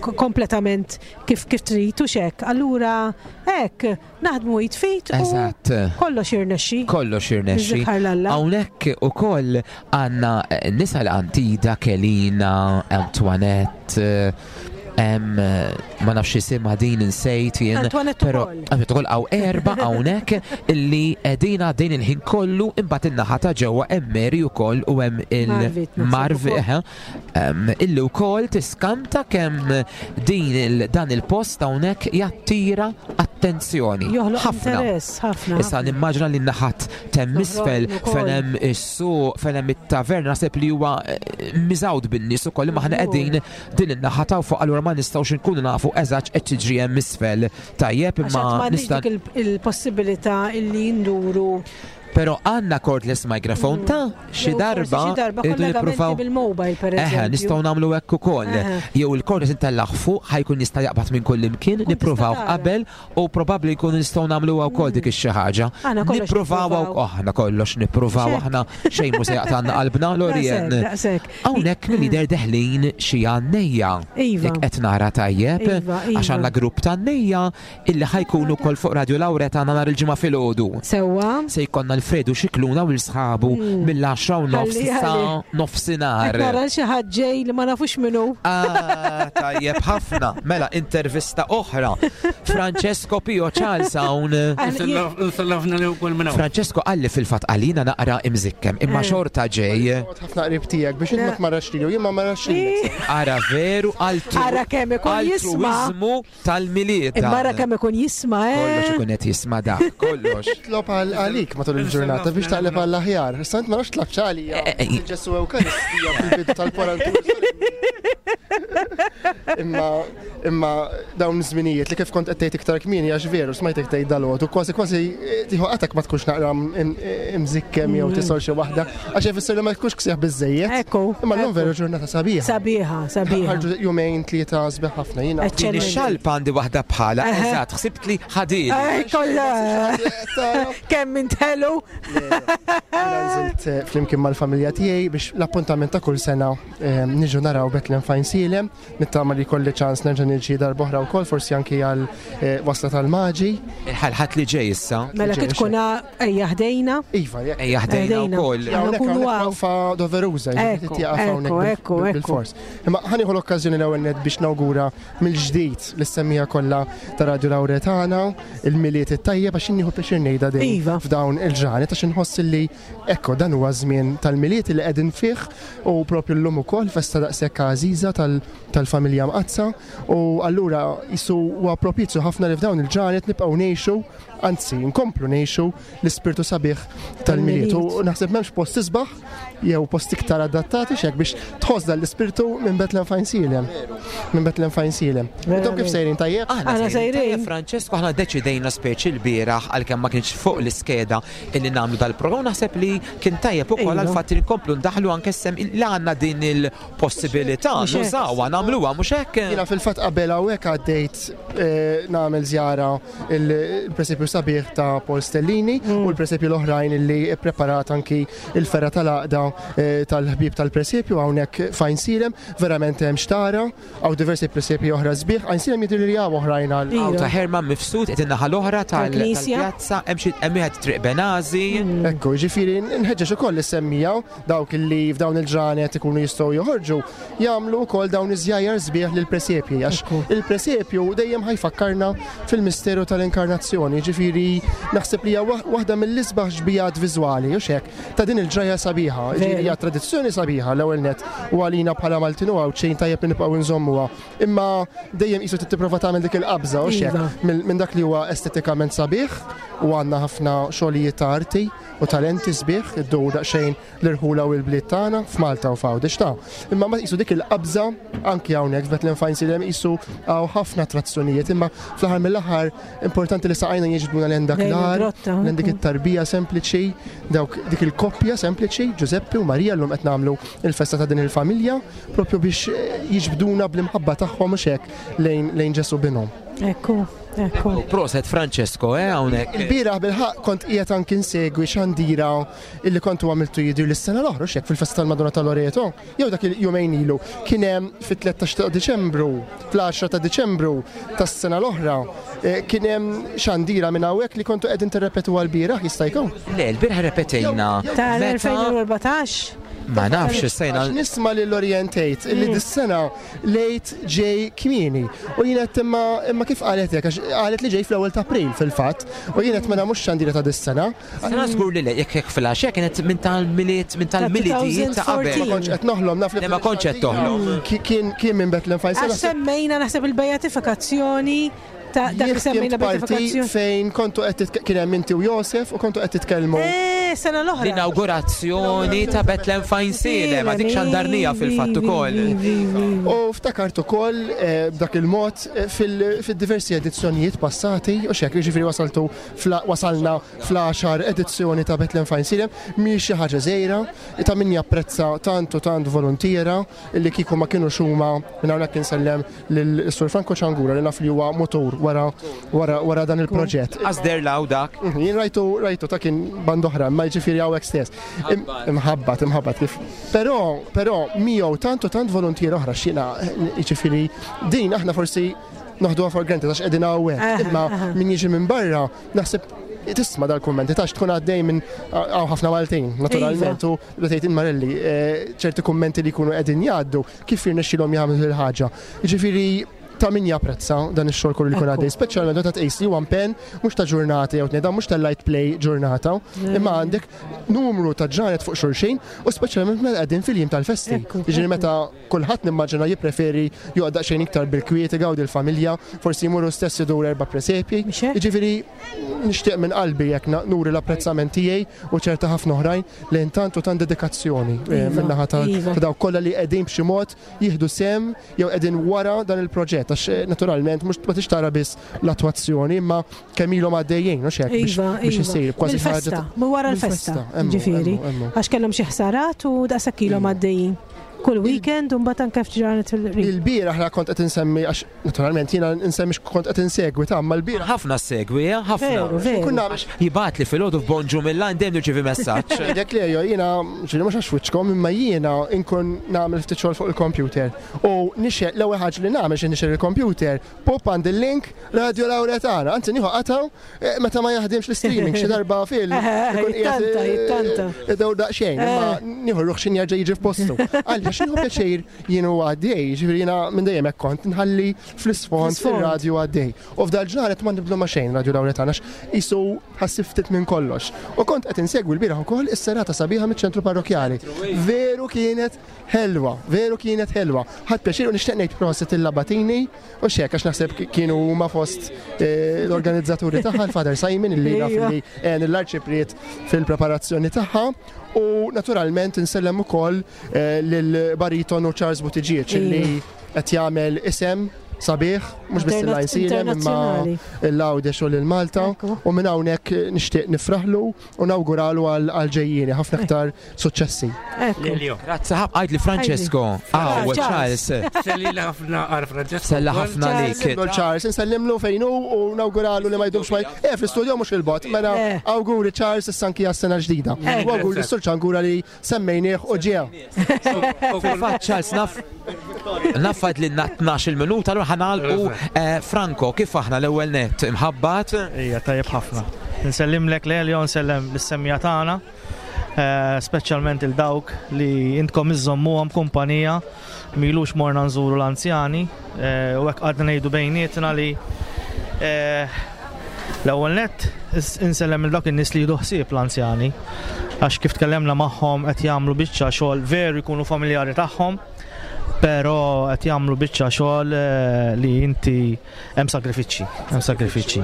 k- kompletament kif kif trid u xek. Allura hekk naħdmu jitfit u Eżatt. kollox jirnexxi. Kollox jirnexxi. Nżikħar l-Alla. Hawnhekk ukoll għandna eh, nisa l-Antida, Kelina, Antoinette, eh, em, eh, ma nafx isimha din insejt jien. Antoinette Però ukoll. Antoinette ukoll hawn erba' hawnhekk illi qegħdin għaddejn il-ħin kollu imbagħad in-naħa ta' ġewwa hemm Mary ukoll u hemm Marvit, naħseb il-Marvi ukoll. eħe, em, illi wkoll tiskanta kemm din il- dan il-post hawnhekk jattira attenzjoni. Joħloq Ħafna. interess, ħafna. Issa nimmaġina li naħat temm isfel ukoll. fejn hemm is-suq, fejn hemm it-taverna, naħseb li huwa eh, miżgħud bin-nies ukoll imma aħna qegħdin din in-naħa ta' fuq allura ma nistgħux inkunu nafu eżatt qed tiġri hemm isfel. Tajjeb Għax imma m'għandniex nista' dik il- il-possibilità illi nduru Però għandna cordless microphone ta' xi Jew forsi darba xi darba irridu kollegamenti nippruvaw bil-mobile per Eħe, eżempju. nistgħu nagħmlu hekk ukoll. Eħe. Jew il-cordless intellaħ fuq ħajkun jista' jaqbad minn kull imkien, nippruvaw tara. qabel u probabbli jkunu nistgħu nagħmlu wkoll dik ix-xi ħaġa. Aħna kollox Nippruvaw nippruvaw. aħna kollox nippruvaw Xek. aħna xejn mhu se jaqtgħalna qalbna Lorien. Daqshekk, daqshekk. Hawnhekk mill-lider deħlin xi għannejja. Iva. Jekk qed nara tajjeb, Iva, iva. għax għandna grupp ta' għannejja illi ħajkunu wkoll fuq Radio Lauretana nhar il-ġimgħa filgħodu. Sewwa. Se jkollna Alfredo Xikluna u l-sħabu mill-għaxra u nofs Ħalli, sa ħalli. nofsinhar. Qed nara xi ħadd ġej li ma nafux minnu. Ah, tajjeb ħafna. Mela, intervista oħra. Francesco Pio Charles hawn. Insellafna li wkoll minn hawn. Francesco qalli fil-fatt għalina naqra imżikkem, imma Eh. xorta ġej. ħafna qrib tiegħek biex int ma tmarrax lilu, jien ma marrax lilek. Ara veru altru. Ara kemm ikun jisma'. Altruizmu tal-miliet. Imma ara kemm ikun jisma' eh. Kollox ikun qed jisma' dak, kollox. Tlob għal għalik matul il-ġurnata biex taqleb għall aħjar. Issa int ma nafx tlabx għalija. Eh, eh, Ġesu Ewkaristija fil-bidu tal-kwarantur. Imma imma dawn iż-żminijiet li kif kont qed tgħid iktar kmieni għax veru smajtek tgħid dalgħodu kważi kważi eh, tieħu qatek ma tkunx naqra im- imżikkem jew tisol xi waħda għax ifisser li ma tkunx ksieħ biżejjed. Ekku. Imma llum veru ġurnata sabiħa. Sabiħa, sabiħa. Ħarġu jumejn tlieta sbieħ ħafna jiena. Din ix-xalpa għandi waħda bħala, Eħe. eżatt, ħsibt li ħadili. Eh, kollha. Kemm intelu. Jiena nżilt eh, flimkien mal-familja tiegħi biex l-appuntament ta' kull sena eh, niġu naraw Bethlehem Fajn Silem. Nittama li jkolli ċans nerġa' niġi darb'oħra wkoll, forsi anki għal eh, wasla tal-Maġi. Il-Ħadd li ġej issa. Mela kif tkun ejja ħdejna. Iva, jekk. Ejja ħdejna wkoll. Hawnhekk Nkunu hawnhekk hawn. waqfa doveruża, jiġifieri Ekku, tieqaf ekku, hawnhekk bil- ekku, bil- ekku. bil-fors. Imma ħa nieħu l-okkażjoni l-ewwel nett biex nawgura mill-ġdid lis-semmiegħa kollha ta' Radio Lauretana, il-Milied it-tajjeb, għax nieħu pjaċir ngħidha din Iva. f'dawn il-ġranet, għax inħoss li ekko dan huwa żmien tal-Milied li qegħdin fih u propju llum ukoll festa daqshekk għażiża tal- tal-familja Mqaddsa, u allura jisu huwa propizju ħafna li f'dawn il-ġranet nibqgħu ngħixu, anzi nkomplu ngħixu l-ispirtu sabiħ tal-Milied. U naħseb m'hemmx post isbaħ jew post iktar adattati xek biex tħoss dan l-ispirtu minn Bethlehem f'Għajnsielem. Minn Bethlehem f'Għajnsielem. Intom kif sejrin, tajjeb? Aħna Aħna sejrin. sejrin. Tajjeb, Francesco, aħna deċidejna speċi l-bieraħ, għalkemm ma kienx fuq l-iskeda illi nagħmlu dal-programm, naħseb li kien tajjeb ukoll Iva. għal fatt li nkomplu ndaħlu anke sem li għandna din il-possibilità Mhux hekk. nużawha, nagħmluha, mhux hekk? Jiena fil-fatt qabel hawnhekk għaddejt eh, nagħmel żjara il-presepju sabiħ ta' Paul Stellini u l-presepju l-oħrajn illi preparat anki il-fergħa tal-għaqda eh, tal-ħbieb tal-presepju hawnhekk f'Għajnsielem, verament hemm xtara, hawn diversi presepji oħra sbieħ, Għajnsielem jidher li hawn oħrajn għal Iva. Hawn ta' Herman Mifsud qed in-naħa l-oħra tal- Tal-Knisja. tal-pjazza, hemm xi hemm wieħed Triq Benazi. Ekku, ġifieri, nħeġġeġ ukoll is-semmiegħa, dawk li f'dawn il-ġranet ikunu jistgħu joħorġu, jagħmlu wkoll dawn iż-żjajjar sbieħ lil presepji, għax il-presepju dejjem ħa jfakkarna fil-misteru tal-inkarnazzjoni, ġifieri naħseb li hija waħ- waħda mill-isbaħ xbihat viżwali, u hekk, ta' din il-ġraja sabiħa, ġifieri hija tradizzjoni sabiħa l-ewwel net u għalina bħala Maltin u Għawdxin tajjeb li nibqgħu nżommuha. Imma dejjem qisu tipprova tagħmel dik il-qabża, u Iva. hekk, minn dak li huwa estetikament sabiħ, u għandna ħafna xogħlijiet ta' arti u talenti sbieħ iddur daqsxejn l-irħula u l-bliet tagħna f'Malta u f'Għawdex ta'. Imma ma qisu dik il-qabża anki hawnhekk f'Bethlehem f'Għajnsielem qisu hawn ħafna attrazzjonijiet, imma fl-aħħar mill-aħħar importanti li saqajna jiġbduna lejn dak Lejn l-għar, il-grotta, lejn dik it-tarbija sempliċi, dawk dik il-koppja sempliċi, Ġużeppi u Marija, llum qed nagħmlu il-festa ta' din il-familja, propju biex eh, jiġbduna bl-imħabba tagħhom u hekk lejn lejn Ġesu binhom. Ekku, ekku. Proset Francesco, eh, hawnhekk. Il-bieraħ bil-ħaq kont qiegħed anki nsegwi xandira illi kontu għamiltu jidher lis-sena l-oħra, xek fil-festa tal-Madonna tal-Loreto, jew dak il-jumejn ilu, kien hemm fit-tlettax ta' Diċembru, fl-għaxra ta' Diċembru tas-sena l-oħra, eh, kien hemm xandira minn hawnhekk li kontu qegħdin tirrepetu għal-bieraħ, jista' jkun. Le, l-bieraħ repetejna. Meta Tal-elfejn u erbatax. Ma nafx sejna. Għax nisma' lil Orientate illi dis-sena lejt ġej kmieni. U jien qed imma imma kif qalet hekk, għax qalet li ġej fl-ewwel ta' April fil-fatt, u jien qed mela mhux xandira ta' dis-sena. Sena żgur li le, jekk jekk fil-għaxija kienet minn tal-Milied, minn tal-Miliedijiet ta' qabel. Ma kontx qed noħlom, naf li Le, ma kontx qed toħlom. Ki- Kien kien minn Bethlehem f'Għajnsielem. Għax semmejna naħseb il-beatifikazzjoni ta' dak li Jien semmejna ħdimt parti beatifikazzjoni. fejn kontu qed titke- kien hemm inti u Josef u kontu qed titkellmu. Eh, sena l-oħra. L-inaugurazzjoni ta' Bethlehem f'Għajnsielem, ma dik xandarnija fil-fatt ukoll. U ftakart ukoll eh, b'dak il-mod eh, fil- fil-diversi edizzjonijiet passati, u xek, jiġifieri wasaltu fla- wasalna fl-għaxar edizzjoni ta' Bethlehem f'Għajnsielem, mhix xi ħaġa żgħira, ta' min japprezza tant u tant volontiera illi kieku ma kienu xuma minn hawnhekk insellem lil Sur Franco Ċangura li naf li huwa motor wara wara wara dan il-proġett. Għazder law dak. Mhm, Jien rajtu rajtu ta' kien band oħra, ma jiġifieri hawnhekk stess. Im- Imħabbat, imħabbat kif. Però, però miegħu tant u tant volontier oħra x'jiena, jiġifieri din aħna forsi noħduha for granted għax qegħdin hawnhekk. Aha, Imma aha. min jiġi minn barra naħseb tisma' dal-kummenti tax tkun għaddej minn hawn ħafna Maltin, naturalment, u tgħid Marelli, eh, ċerti kummenti li jkunu qegħdin jgħaddu kif jirnexxilhom jagħmlu il-ħaġa. Jiġifieri ta' min japprezza dan ix-xogħol kollu li jkun għaddej, speċjalment meta tqis li huwa impenn mhux ta' ġurnata jew tnejn, dan mhux tal-light play ġurnata, imma għandek numru ta' ġranet fuq xulxin u speċjalment meta qegħdin fil-jiem tal-festi. Ekku, Jiġifieri ekku. meta kulħadd nimmaġina jippreferi joqgħod daqsxejn iktar bil-kwiet, igawdi l-familja, forsi jmurru stess idur erba' presepji. Mhux hekk? Jiġifieri nixtieq minn qalbi jekk na- nuri l-apprezzament tiegħi u ċerta ħafna oħrajn lejn tant u tant dedikazzjoni eh, Iva, min-naħa ta' iva. ta' dawk kollha li qegħdin b'xi mod jieħdu sem jew qegħdin wara dan il-proġett, għax eh, naturalment mhux ma tix tara biss l-attwazzjoni imma kemm ilhom għaddejjin, mhux hekk, biex Iva, biex iva. isir kważi ħaġa Mill-festa, ta' mu wara l-festa, Mill-festa, emmu, ġifieri. emmu, emmu. Għax kellhom xi ħsarat u daqshekk ilhom għaddejjin. Kull weekend u mbagħad anke ftit ġranet fil-qrib. Il-bieraħ aħna kont qed insemmi għax naturalment jiena nsemmi kont qed insegwi ta' ma l-bieraħ. Ħafna segwi, eh, ħafna. Veru, veru. Kun nagħmel Jibgħat li filgħodu f'bonġu mill-line dejjem nirċievi messaġġ. Dak li jiena ġieli mhux għax wiċċkom imma jiena inkun nagħmel ftit xogħol fuq il-computer. U nixxel l-ewwel ħaġa li nagħmel xi nixxel il-computer, pop għand il-link Radio Lauretana. Anzi nieħu qataw eh, meta ma jaħdimx l-streaming xi darba fil. ikun qiegħed, Jittanta, eh, jittanta. Idew daqsxejn, imma nieħu ruħ x'in jerġa' jiġi f'postu. Għaliex nieħu pjaċir jien u għaddej, ġifieri jiena minn dejjem hekk kont nħalli fl-isfond Fl-isfond. ir-radju għaddej. U f'dal ġranet ma nibdlu ma xejn Radio Lauretana għax isu ħassib ftit minn kollox. U kont qed insegwi l-bieraħ ukoll is-serata sabiħa miċ-ċentru parrokjali. Veru kienet ħelwa, veru kienet ħelwa. Ħadd pjaċir u nixtieq ngħid prosit il-Labatini u xek għax naħseb kienu huma fost eh, l-organizzaturi tagħha l-Father Simon illi naf Ejja. li għen l-arċipriet fil-preparazzjoni tagħha u naturalment insellem ukoll eh, lil baritonu Charles Buttigieg illi qed jagħmel isem sabiħ, mhux biss Interna- il-Għajnsielem imma internazzjonali. l-Għawdex u lil Malta Ekku. u minn hawnhekk nixtieq nifraħlu u nawguralu għal għal ġejjieni ħafna aktar suċċessi. Ekku. Lelio. Grazzi ħab għajd li Francesco. Aw, Charles. Charles. Selli ħafna għal Francesco. Sella wkoll. ħafna lik. Nsellimlu l-Charles, insellimlu fejn hu u nawguralu li ma jdumx ma Eh, fl-istudio mhux il-bot, mela Eh. awguri Charles issa anki għas-sena ġdida. Eh. U awguri s-sur ċangura li semmejnieh u ġew. U kull- Fil-fatt Charles naf Naffad li tnax-il minuta, allura ħanalqu eh, Franco, kif aħna l-ewwel net imħabbat? Ija, tajjeb ħafna. Nsellimlek Lelio, nsellem l-semmija tagħna, eh, speċjalment il-dawk li intkom iżommuhom kumpanija milux morna nżuru l-anzjani eh, u hekk għadna ngħidu bejnietna li eh, l-ewwel nett is- insellem il dawk in-nies li jieħdu ħsieb l-anzjani għax kif tkellemna magħhom qed jagħmlu biċċa xogħol veru jkunu familjari tagħhom però qed jagħmlu biċċa xogħol eh, li inti hemm sagrifiċċji, hemm sagrifiċċji.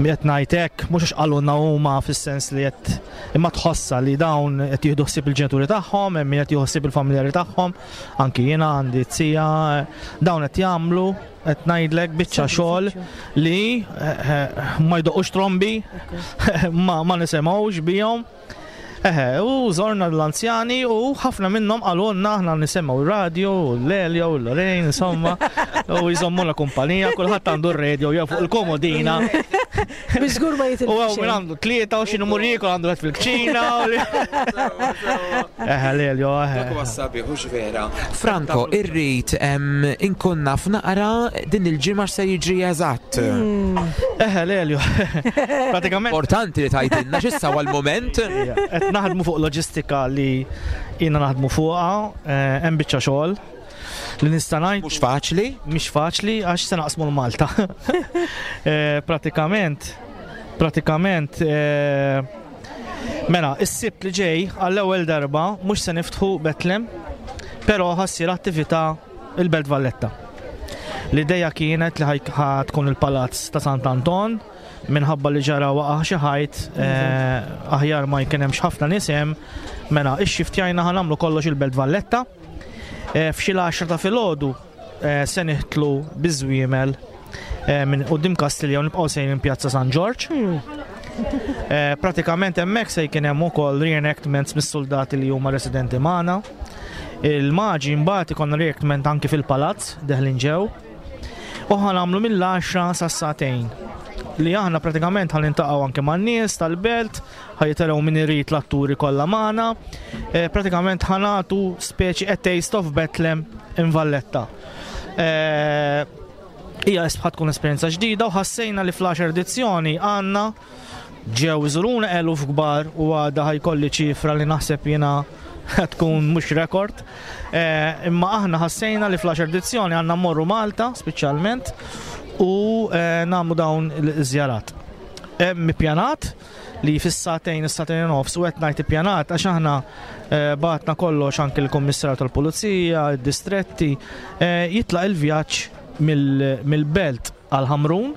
Mi qed ngħid hekk mhux għax qalulna huma fis-sens li qed imma tħossa li dawn qed jieħdu ħsieb il-ġenituri tagħhom, hemm min qed jieħu ħsieb il-familjari tagħhom, anki jiena għandi tija, dawn qed jagħmlu qed ngħidlek biċċa xogħol li eh, eh, ma jdoqqux trombi, ma, ma nisimgħux bihom. Eħe, u żorna l-anzjani u ħafna minnhom qalulna aħna nisimgħu r-radio, u l-Elio, u l-Lorraine, insomma, u jżommu la kumpanija, kulħadd għandu r-radio jew fuq il-komodina. Biżgur ma U jitilfu għaw minn xejn. għandu tlieta u xinu murriku għandu għed fil-kċina. u li- Eħe, Lelio, eħe. sabiħ, hux vera. Franco, irrid em, inkun naf naqra din il-ġimgħa x'se jiġri eżatt. Eħe, Lelio. Pratikament. Importanti li tgħidilna x'issa huwa l-mument. Qed naħdmu fuq loġistika li jiena naħdmu fuqha, eh, hemm biċċa xogħol li nista' ngħid. Mhux faċli. Mhix faċli għax se naqsmu l-Malta. Eh, Pratikament, pratikament, eh, mela, is-sibt li ġej għall-ewwel darba mhux se niftħu Betlem, però ħassir attività il-Belt Valletta. L-ideja kienet li ħaj- ħa tkun il-Palazz ta' Sant'Anton minħabba li ġara waqa' xi ħajt eh, aħjar ma jkun hemmx ħafna nies hemm, mela ix-xiftjajna ħa nagħmlu kollox il-Belt Valletta. Eh, F'xi l-għaxra ta' filgħodu eh, se niħtlu biż-żwiemel eh, minn quddiem Kastilja u nibqgħu sejrin Pjazza San Ġorġ. Eh, Pratikament hemmhekk se jkun hemm ukoll reenactments mis-soldati li huma residenti magħna. Il-maġi mbagħad ikollna reenactment anki fil-palazz deħlin ġew. U ħa nagħmlu mill-għaxra sas-sagħtejn. Li aħna pratikament ħa niltaqgħu anke man-nies tal-belt, ħa jitilgħu min irid l-atturi kollha magħna. Eh, pratikament ħa nagħtu speċi a taste of Bethlehem in Valletta. Eh, Hija ħa tkun esperjenza ġdida u ħassejna li fl-għaxar edizzjoni għandna ġew iżuruna eluf kbar u għada ħa jkolli ċifra li naħseb jiena tkun mhux rekord. Eh, imma aħna ħassejna li fl-għaxar edizzjoni għandna mmorru Malta speċjalment u eh, nagħmlu dawn il-żjarat. Hemm ippjanat li fis-sagħtejn is-sagħtejn u nofs u qed ngħid ippjanat għax aħna eh, bagħatna kollox anke l-Kummissarju tal-Pulizija, id-distretti, eh, jitlaq il-vjaġġ mill- mill-belt għal Ħamrun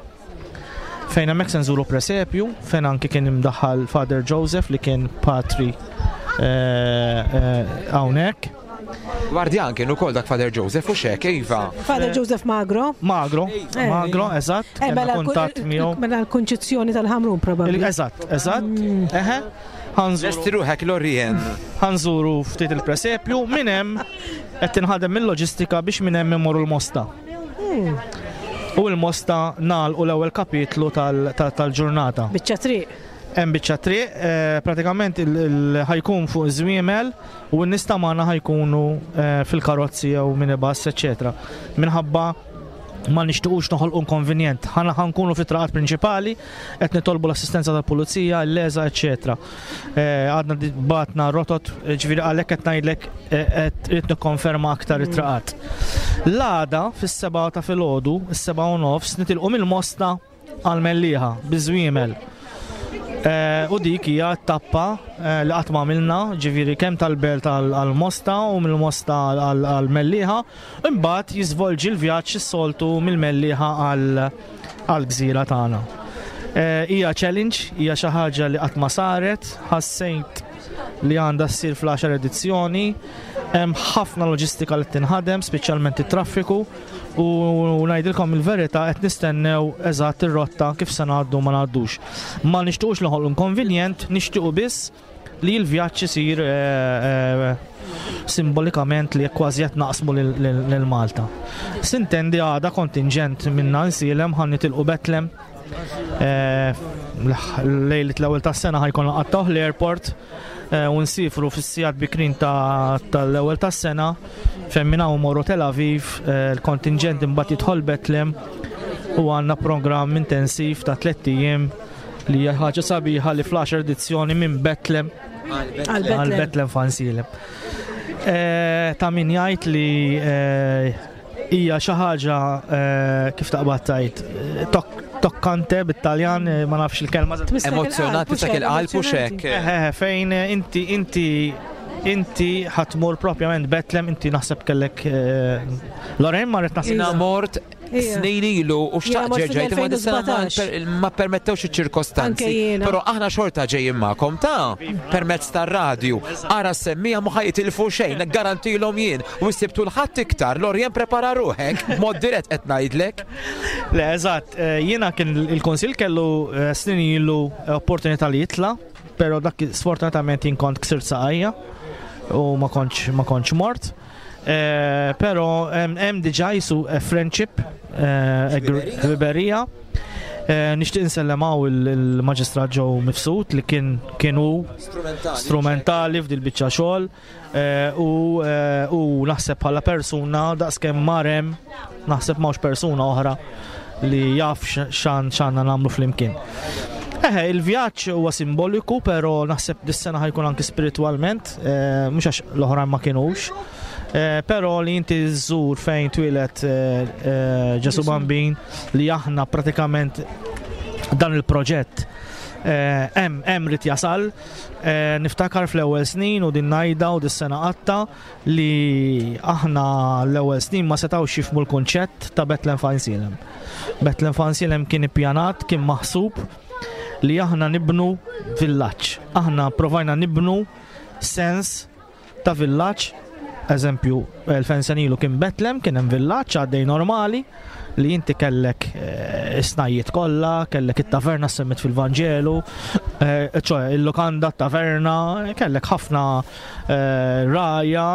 fejn hemmhekk se nżuru presepju, fejn anke kien imdaħħal Father Joseph li kien patri eh, eh, hawnhekk. Gwardjan kien ukoll dak Father Joseph u xek, iva. Father Joseph Magro. Magro, Eh. Magro, eżatt, Eh, kellna mela kuntatt miegħu. Mela l-konċezzjoni tal-Ħamrun probabbli. Eżatt, eżatt. Eħe. Lesti ruħek, Lorien. Ħa nżuru ftit il-presepju, minn hemm qed tinħadem mill-loġistika biex minn hemm immorru l-Mosta. U l-Mosta nagħlqu l-ewwel kapitlu tal- tal- tal-ġurnata. Biċċa triq. Hemm biċċa triq, eh, pratikament il- il- ħa jkun fuq żwiemel u n-nies ta' magħna ħa jkunu eh, fil-karozzi jew minibus, eċetera. Minħabba ma nixtiqux noħolqu inkonvenjent. Ħana ħa nkunu fit-traqat prinċipali, qed nitolbu l-assistenza tal-pulizija, l-LESA, eċetera. Eh, Għadna di- batna rotot, eh, ġifieri għalhekk qed ngħidlek eh, qed irid nikkonferma aktar it-traqat. L-għada fis-sebgħa ta' filgħodu, is-sebgħa u nofs, nitilqu mill-Mosta għal-Mellieħa biż-żwiemel. Eh, U dik hija tappa eh, li qatt ma għamilna, ġifieri kemm tal-Belt għal-Mosta u mill-Mosta għal-Mellieħa, imbagħad jiżvolġi l-vjaġġ is-soltu mill-Mellieħa għal-gżira tagħna. Eh, Hija challenge, hija xi ħaġa li qatt ma saret, ħassejt li għandha ssir fl-għaxar edizzjoni, hemm ħafna loġistika li tinħadem, speċjalment it-traffiku, u ngħidilkom il-verità, qed nistennew eżatt ir-rotta kif se ngħaddu ma ngħaddux. Ma nixtiequx noħolqu inkonvenjent, nixtiequ biss li l-vjaġġ isir eh, eh, simbolikament li kważi qed naqsmu lil- lil lil Malta. Sintendi, għada kontingent minna Għajnsielem ħa nitilqu Betlem. Eh, Lejlit l-ewwel tas-sena ħa jkun qattawh l-airport eh, u nsifru fis-sigħat bikrin ta' tal-ewwel tas-sena fejn minn hawn morru Tel Aviv, eh, il-kontingent imbagħad jidħol Betlem u għandna programm intensiv ta' tliet ijiem li hija ħaġa sabiħa li fl-għaxar edizzjoni minn Betlem Għal għal Betlem. Betlem f'Għajnsielem. Eh, Ta' min jgħid li eh, hija xi ħaġa eh, kif taqbad tgħid eh, tok- toccante bit-Taljan, eh, ma nafx il-kelma. Tmissek Emozjonati il-qalb, sak il-qalb u xek. Eh, eh, fejn eh, inti inti inti ħa tmur propjament Betlem, inti naħseb kellek eh, Lorraine marret naħseb. Jiena mort Ija. snin ilu u Jiena xtaqt mort ġerġajt imma dis-sena ma fil-elfejn u sbatax. per- ma permettewx iċ-ċirkostanzi. Anke jiena. Però aħna xorta ġejjin magħkom ta' permezz tar-radju. Ara semmija ma ħa jitilfu xejn, garantilhom jien. U ssibtu l-ħadd iktar, Lorien, prepara ruħek, mod dirett qed ngħidlek. Le, eżatt, eh, jiena kien il-konsil kellu eh, snin ilu opportunità li jitla, pero dak sfortunatament jien kont ksirt saqajja u ma kontx ma kontx mort. Eh, Pero hemm hemm diġà jisu eh, friendship, eh, ħbiberija. Eh, Nixtieq insellem hawn il-Maġistrat Joe Mifsud li kien kienu strumentali f'dil biċċa xogħol eh, u eh, u naħseb bħala persuna daqskemm marem naħseb m'hawnx persuna oħra li jaf x'għan x'għandna nagħmlu flimkien. Eħe, il-vjaġġ huwa simboliku, pero naħseb dis-sena ħa jkun anki spiritualment, eh, mhux għax l-oħrajn ma kienux. Eh, pero li inti żżur fejn twieled eh, eh, Ġesu Bambin, li aħna pratikament dan il-proġett eh, hemm hemm rid jasal. Eh, niftakar fl-ewwel snin u din ngħidha u dis-sena qatta li aħna l-ewwel snin ma setgħux jifhmu l-kunċett ta' Betlem f'Għajnsielem. Betlem f'Għajnsielem kien ippjanat, kien maħsub li aħna nibnu villaġġ. Aħna provajna nibnu sens ta' villaġġ. Eżempju, elfejn sena ilu kien Betlem, kien hemm villaġġ għaddej normali li inti kellek eh, is-snajjiet kollha, kellek it-taverna semmit fil-Vanġelu, eh, ċoè il-lokanda, taverna, kellek ħafna eh, raja.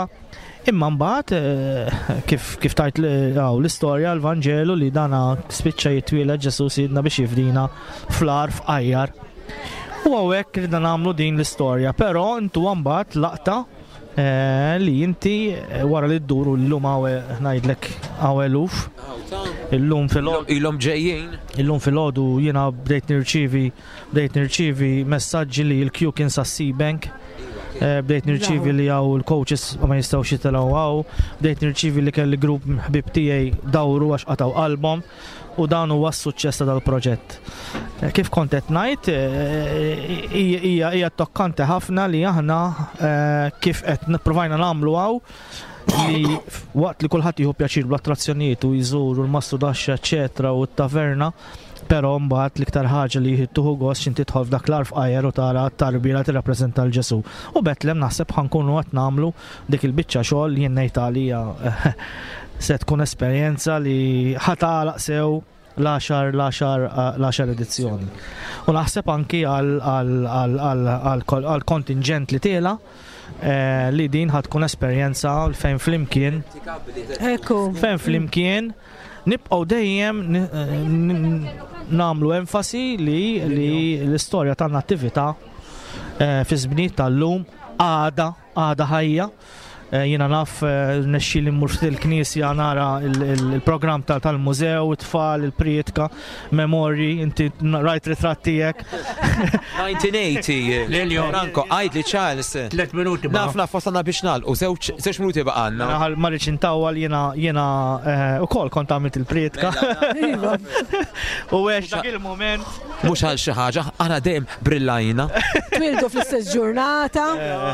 Imma mbagħad eh, kif kif tajt li- għaw, l-istorja l-Vanġelu li dana spiċċa jitwieled Ġesu sidna biex jifdina fl-għar fqajjar. U hawnhekk ridna nagħmlu din l-istorja, però intu mbagħad laqta eh, li inti eh, wara li dduru llum hawn ngħidlek hawn eluf. Illum fil Ilhom ġejjin. Illum filgħodu jiena bdejt nirċivi bdejt nirċivi messaġġi li l-queue kien sa Seabank. Eh, Bdejt nirċivi li hawn il-coaches ma jistgħux jitilgħu hawn, bdejt nirċivi li kelli grupp ħbib tiegħi dawru għax qataw qalbhom u dan huwa s-suċċess ta' dal-proġett. Eh, Kif kont qed ngħid, eh, hija hija hija tokkanti ħafna li aħna eh, kif qed nipprovajna nagħmlu hawn li waqt li kulħadd jieħu pjaċir bl-attrazzjonijiet u jżuru l-mastrudaxxa eċetera u t-taverna, però mbagħad l-iktar ħaġa li tieħu gost x'inti tidħol f'dak l-għar fqajjar u tara t-tarbija tirrappreżenta l Ġesu. U Betlem naħseb ħa nkunu qed nagħmlu dik il-biċċa xogħol li jien ngħid għalija se tkun esperjenza li ħa tagħlaq sew. l-għaxar l-għaxar l-għaxar edizzjoni. U naħseb anki għal kontingent li tela li din ħa tkun esperjenza fejn flimkien. Ekku. Fejn flimkien nibqgħu dejjem nagħmlu enfasi li l-istorja tan-nattività fi żminijiet tal-lum għada għada ħajja. Jiena naf nexxi li mmur ftit il-knisja nara il-programm tal-mużew, it-tfal, il-prietka, memorji, inti rajt ritratt tiegħek. nineteen eighty. Lelio. Franco, għidli Charles. Tlet minuti Naf naf wasalna biex nagħlqu, żewġ żewġ minuti baqgħalna. Ma rridx intawwal, jiena jiena ukoll kont għamilt il-prietka. U għex dak il-moment. Mhux għal xi ħaġa, aħna dejjem brillajna. Twildu fl-istess ġurnata.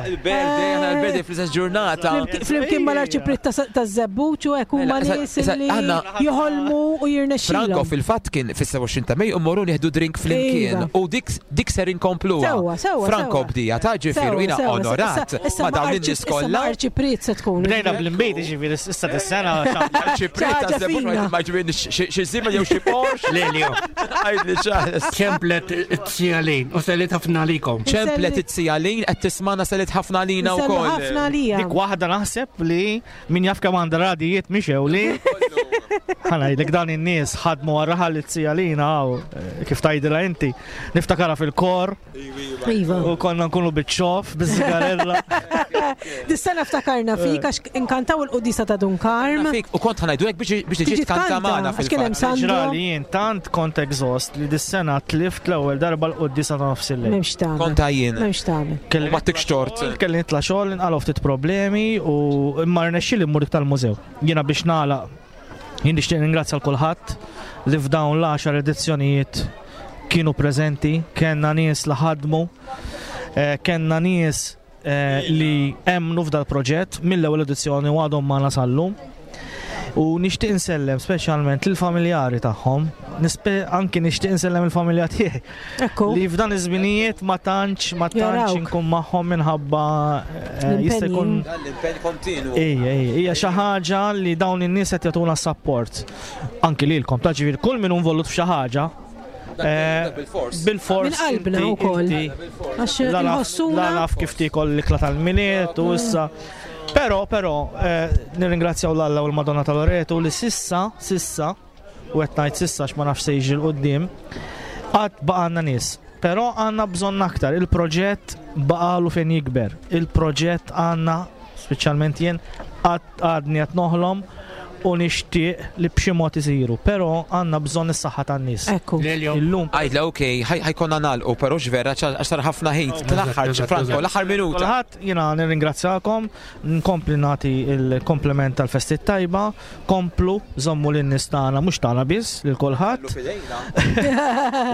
Il-birthday, aħna il-birthday fl-istess ġurnata. Flimkien mal-arċipriet taż-Żebbuġ u hekk huma Mela, nies issa- li għandna- joħolmu u jirnexxilhom. Franco fil-fatt kien fis-sebgħa u għoxrin ta' Mejju u mmorru nieħdu drink flimkien Iva. u dik dik ser inkompluha. Sewwa, sewwa, Franco sewwa. bdija ta' ġifieri jiena Sewwa, sewwa. onorat Issa- issa ma' dawn arċi- in-nies issa ma' kollha. arċipriet se tkun. Bdejna bl-imbejt, ġifieri issa dis-sena. Arċipriet Ħaġa taż-Żebbuġ fina. ma ġifieri xi żiemel jew xi Porsche. Lelio. Għidli Charles. Ċemplet it-sijalin u sellit ħafna għalikom. Ċemplet it-sijalin qed tismana sellit ħafna għalina Nsellu wkoll. ħafna għalija. Dik waħda naħseb li min jaf kemm għandha radijiet mixew li. Ħa ngħidlek dan in-nies ħadmu għarraħal it-sijalina għaw, kif tgħidilha inti. Niftakarha fil-kor. Iva. U konna nkunu biċ-ċoff, biz-sigarella. Dis-sena ftakarna fik għax inkantaw il-qudisa ta' Dun Karm. Fik, u kont ħa ngħidu biex biex tiġi Tiġi tkanta tkanta, magħna għax kien hemm fil-fatt. Sandro. Ġrali jien tant kont exhaust li dis-sena tlift l-ewwel darba l-qudisa ta' nofs il-lejl. M'hemmx tagħmel. Kont għajjien. M'hemmx tagħmel. Kelli Ma tikx tort. Kelli nitla' xogħol, inqalgħu ftit problemi u imma rnexxieli mmur dik tal-mużew. Jiena biex nagħlaq jien nixtieq ningrazzja l kulħadd li f'dawn l-għaxar edizzjonijiet kienu preżenti, kellna nies li ħadmu, eh, kellna nies eh, li emmnu f'dal proġett mill-ewwel edizzjoni u għadhom magħna sal-lum. U nixtieq insellem speċjalment lill-familjari tagħhom, nispe anki nixtieq insellem il-familja tiegħi. Ekku. Li f'dan iż-żminijiet ma tantx ma tantx Jarawk. inkun magħhom minħabba eh, jista' jkun L-impenn kontinu. Ejja, ejja, hija xi ħaġa li dawn in-nies qed jagħtuna support. Anki lilkom, ta' ġifieri kull min hu involut f'xi ħaġa. eh, Bil-fors. Bil-fors. Minn qalbna inti- wkoll. inti- Għax La naf- inħossuna la naf kif tiekol l-ikla tal-Milied u issa. Però, però, eh, nirringrazzjaw l-Alla u l-Madonna tal-Loreto li sissa, sissa, u qed ngħid sissa għax ma nafx se jiġi 'l quddiem, għad baqgħalna nies. Però għandna bżonn aktar, il-proġett baqalu fejn jikber. Il-proġett għandna, speċjalment jien, għad għadni qed noħlom u nixtieq li b'xi mod isiru, però għandna bżonn is-saħħa tan-nies. Ekku. Lelio. Illum Għidla, ok, ħa jkollna nagħlqu, però x'vera, għax sar ħafna ħin. L-aħħar, Franco, l-aħħar minuta. Kulħadd jiena nirringrazzjakom, nkompli nagħti il-kompliment tal-festi tajba, komplu żommu lin-nies tagħna mhux tagħna biss lil kulħadd.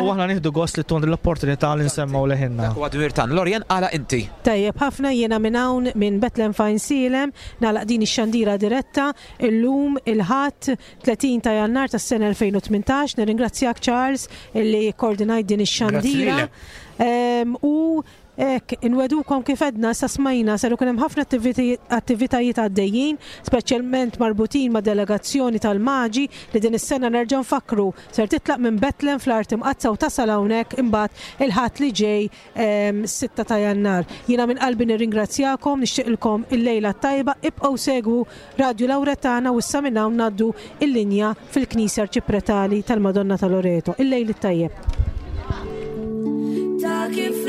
U aħna nieħdu gost li tkun l-opportunità li nsemmgħu leħinna. Dak huwa dmir tagħna. Lorien, għala inti. Tajjeb ħafna, jiena minn hawn minn Bethlehem f'Għajnsielem nagħlaq din ix-xandira diretta illum il-Ħadd tletin ta' Jannar tas-sena elfejn u tmintax. Nirringrazzjak Charles illi koordinajt din ix-xandira. Grazzi Em, U hekk, inwegħdukom kif għedna sa smajna ser ikun hemm ħafna attiviti- attivitajiet għaddejjin, speċjalment marbutin ma' delegazzjoni tal-Maġi li din is-sena nerġa' nfakru ser titlaq minn Bethlehem fl-Art Imqaddsa u tasal hawnhekk imbagħad il-Ħadd li ġej em, sitta ta' Jannar. Jiena minn qalbi nirringrazzjakom, nixtieqilkom il-lejla tajba, ibqgħu segwu Radio Lauretana u issa minn hawn ngħaddu il-linja fil-Knisja Arċipretali tal-Madonna tal-Loreto. Il-lejl it-tajjeb. Ta' kif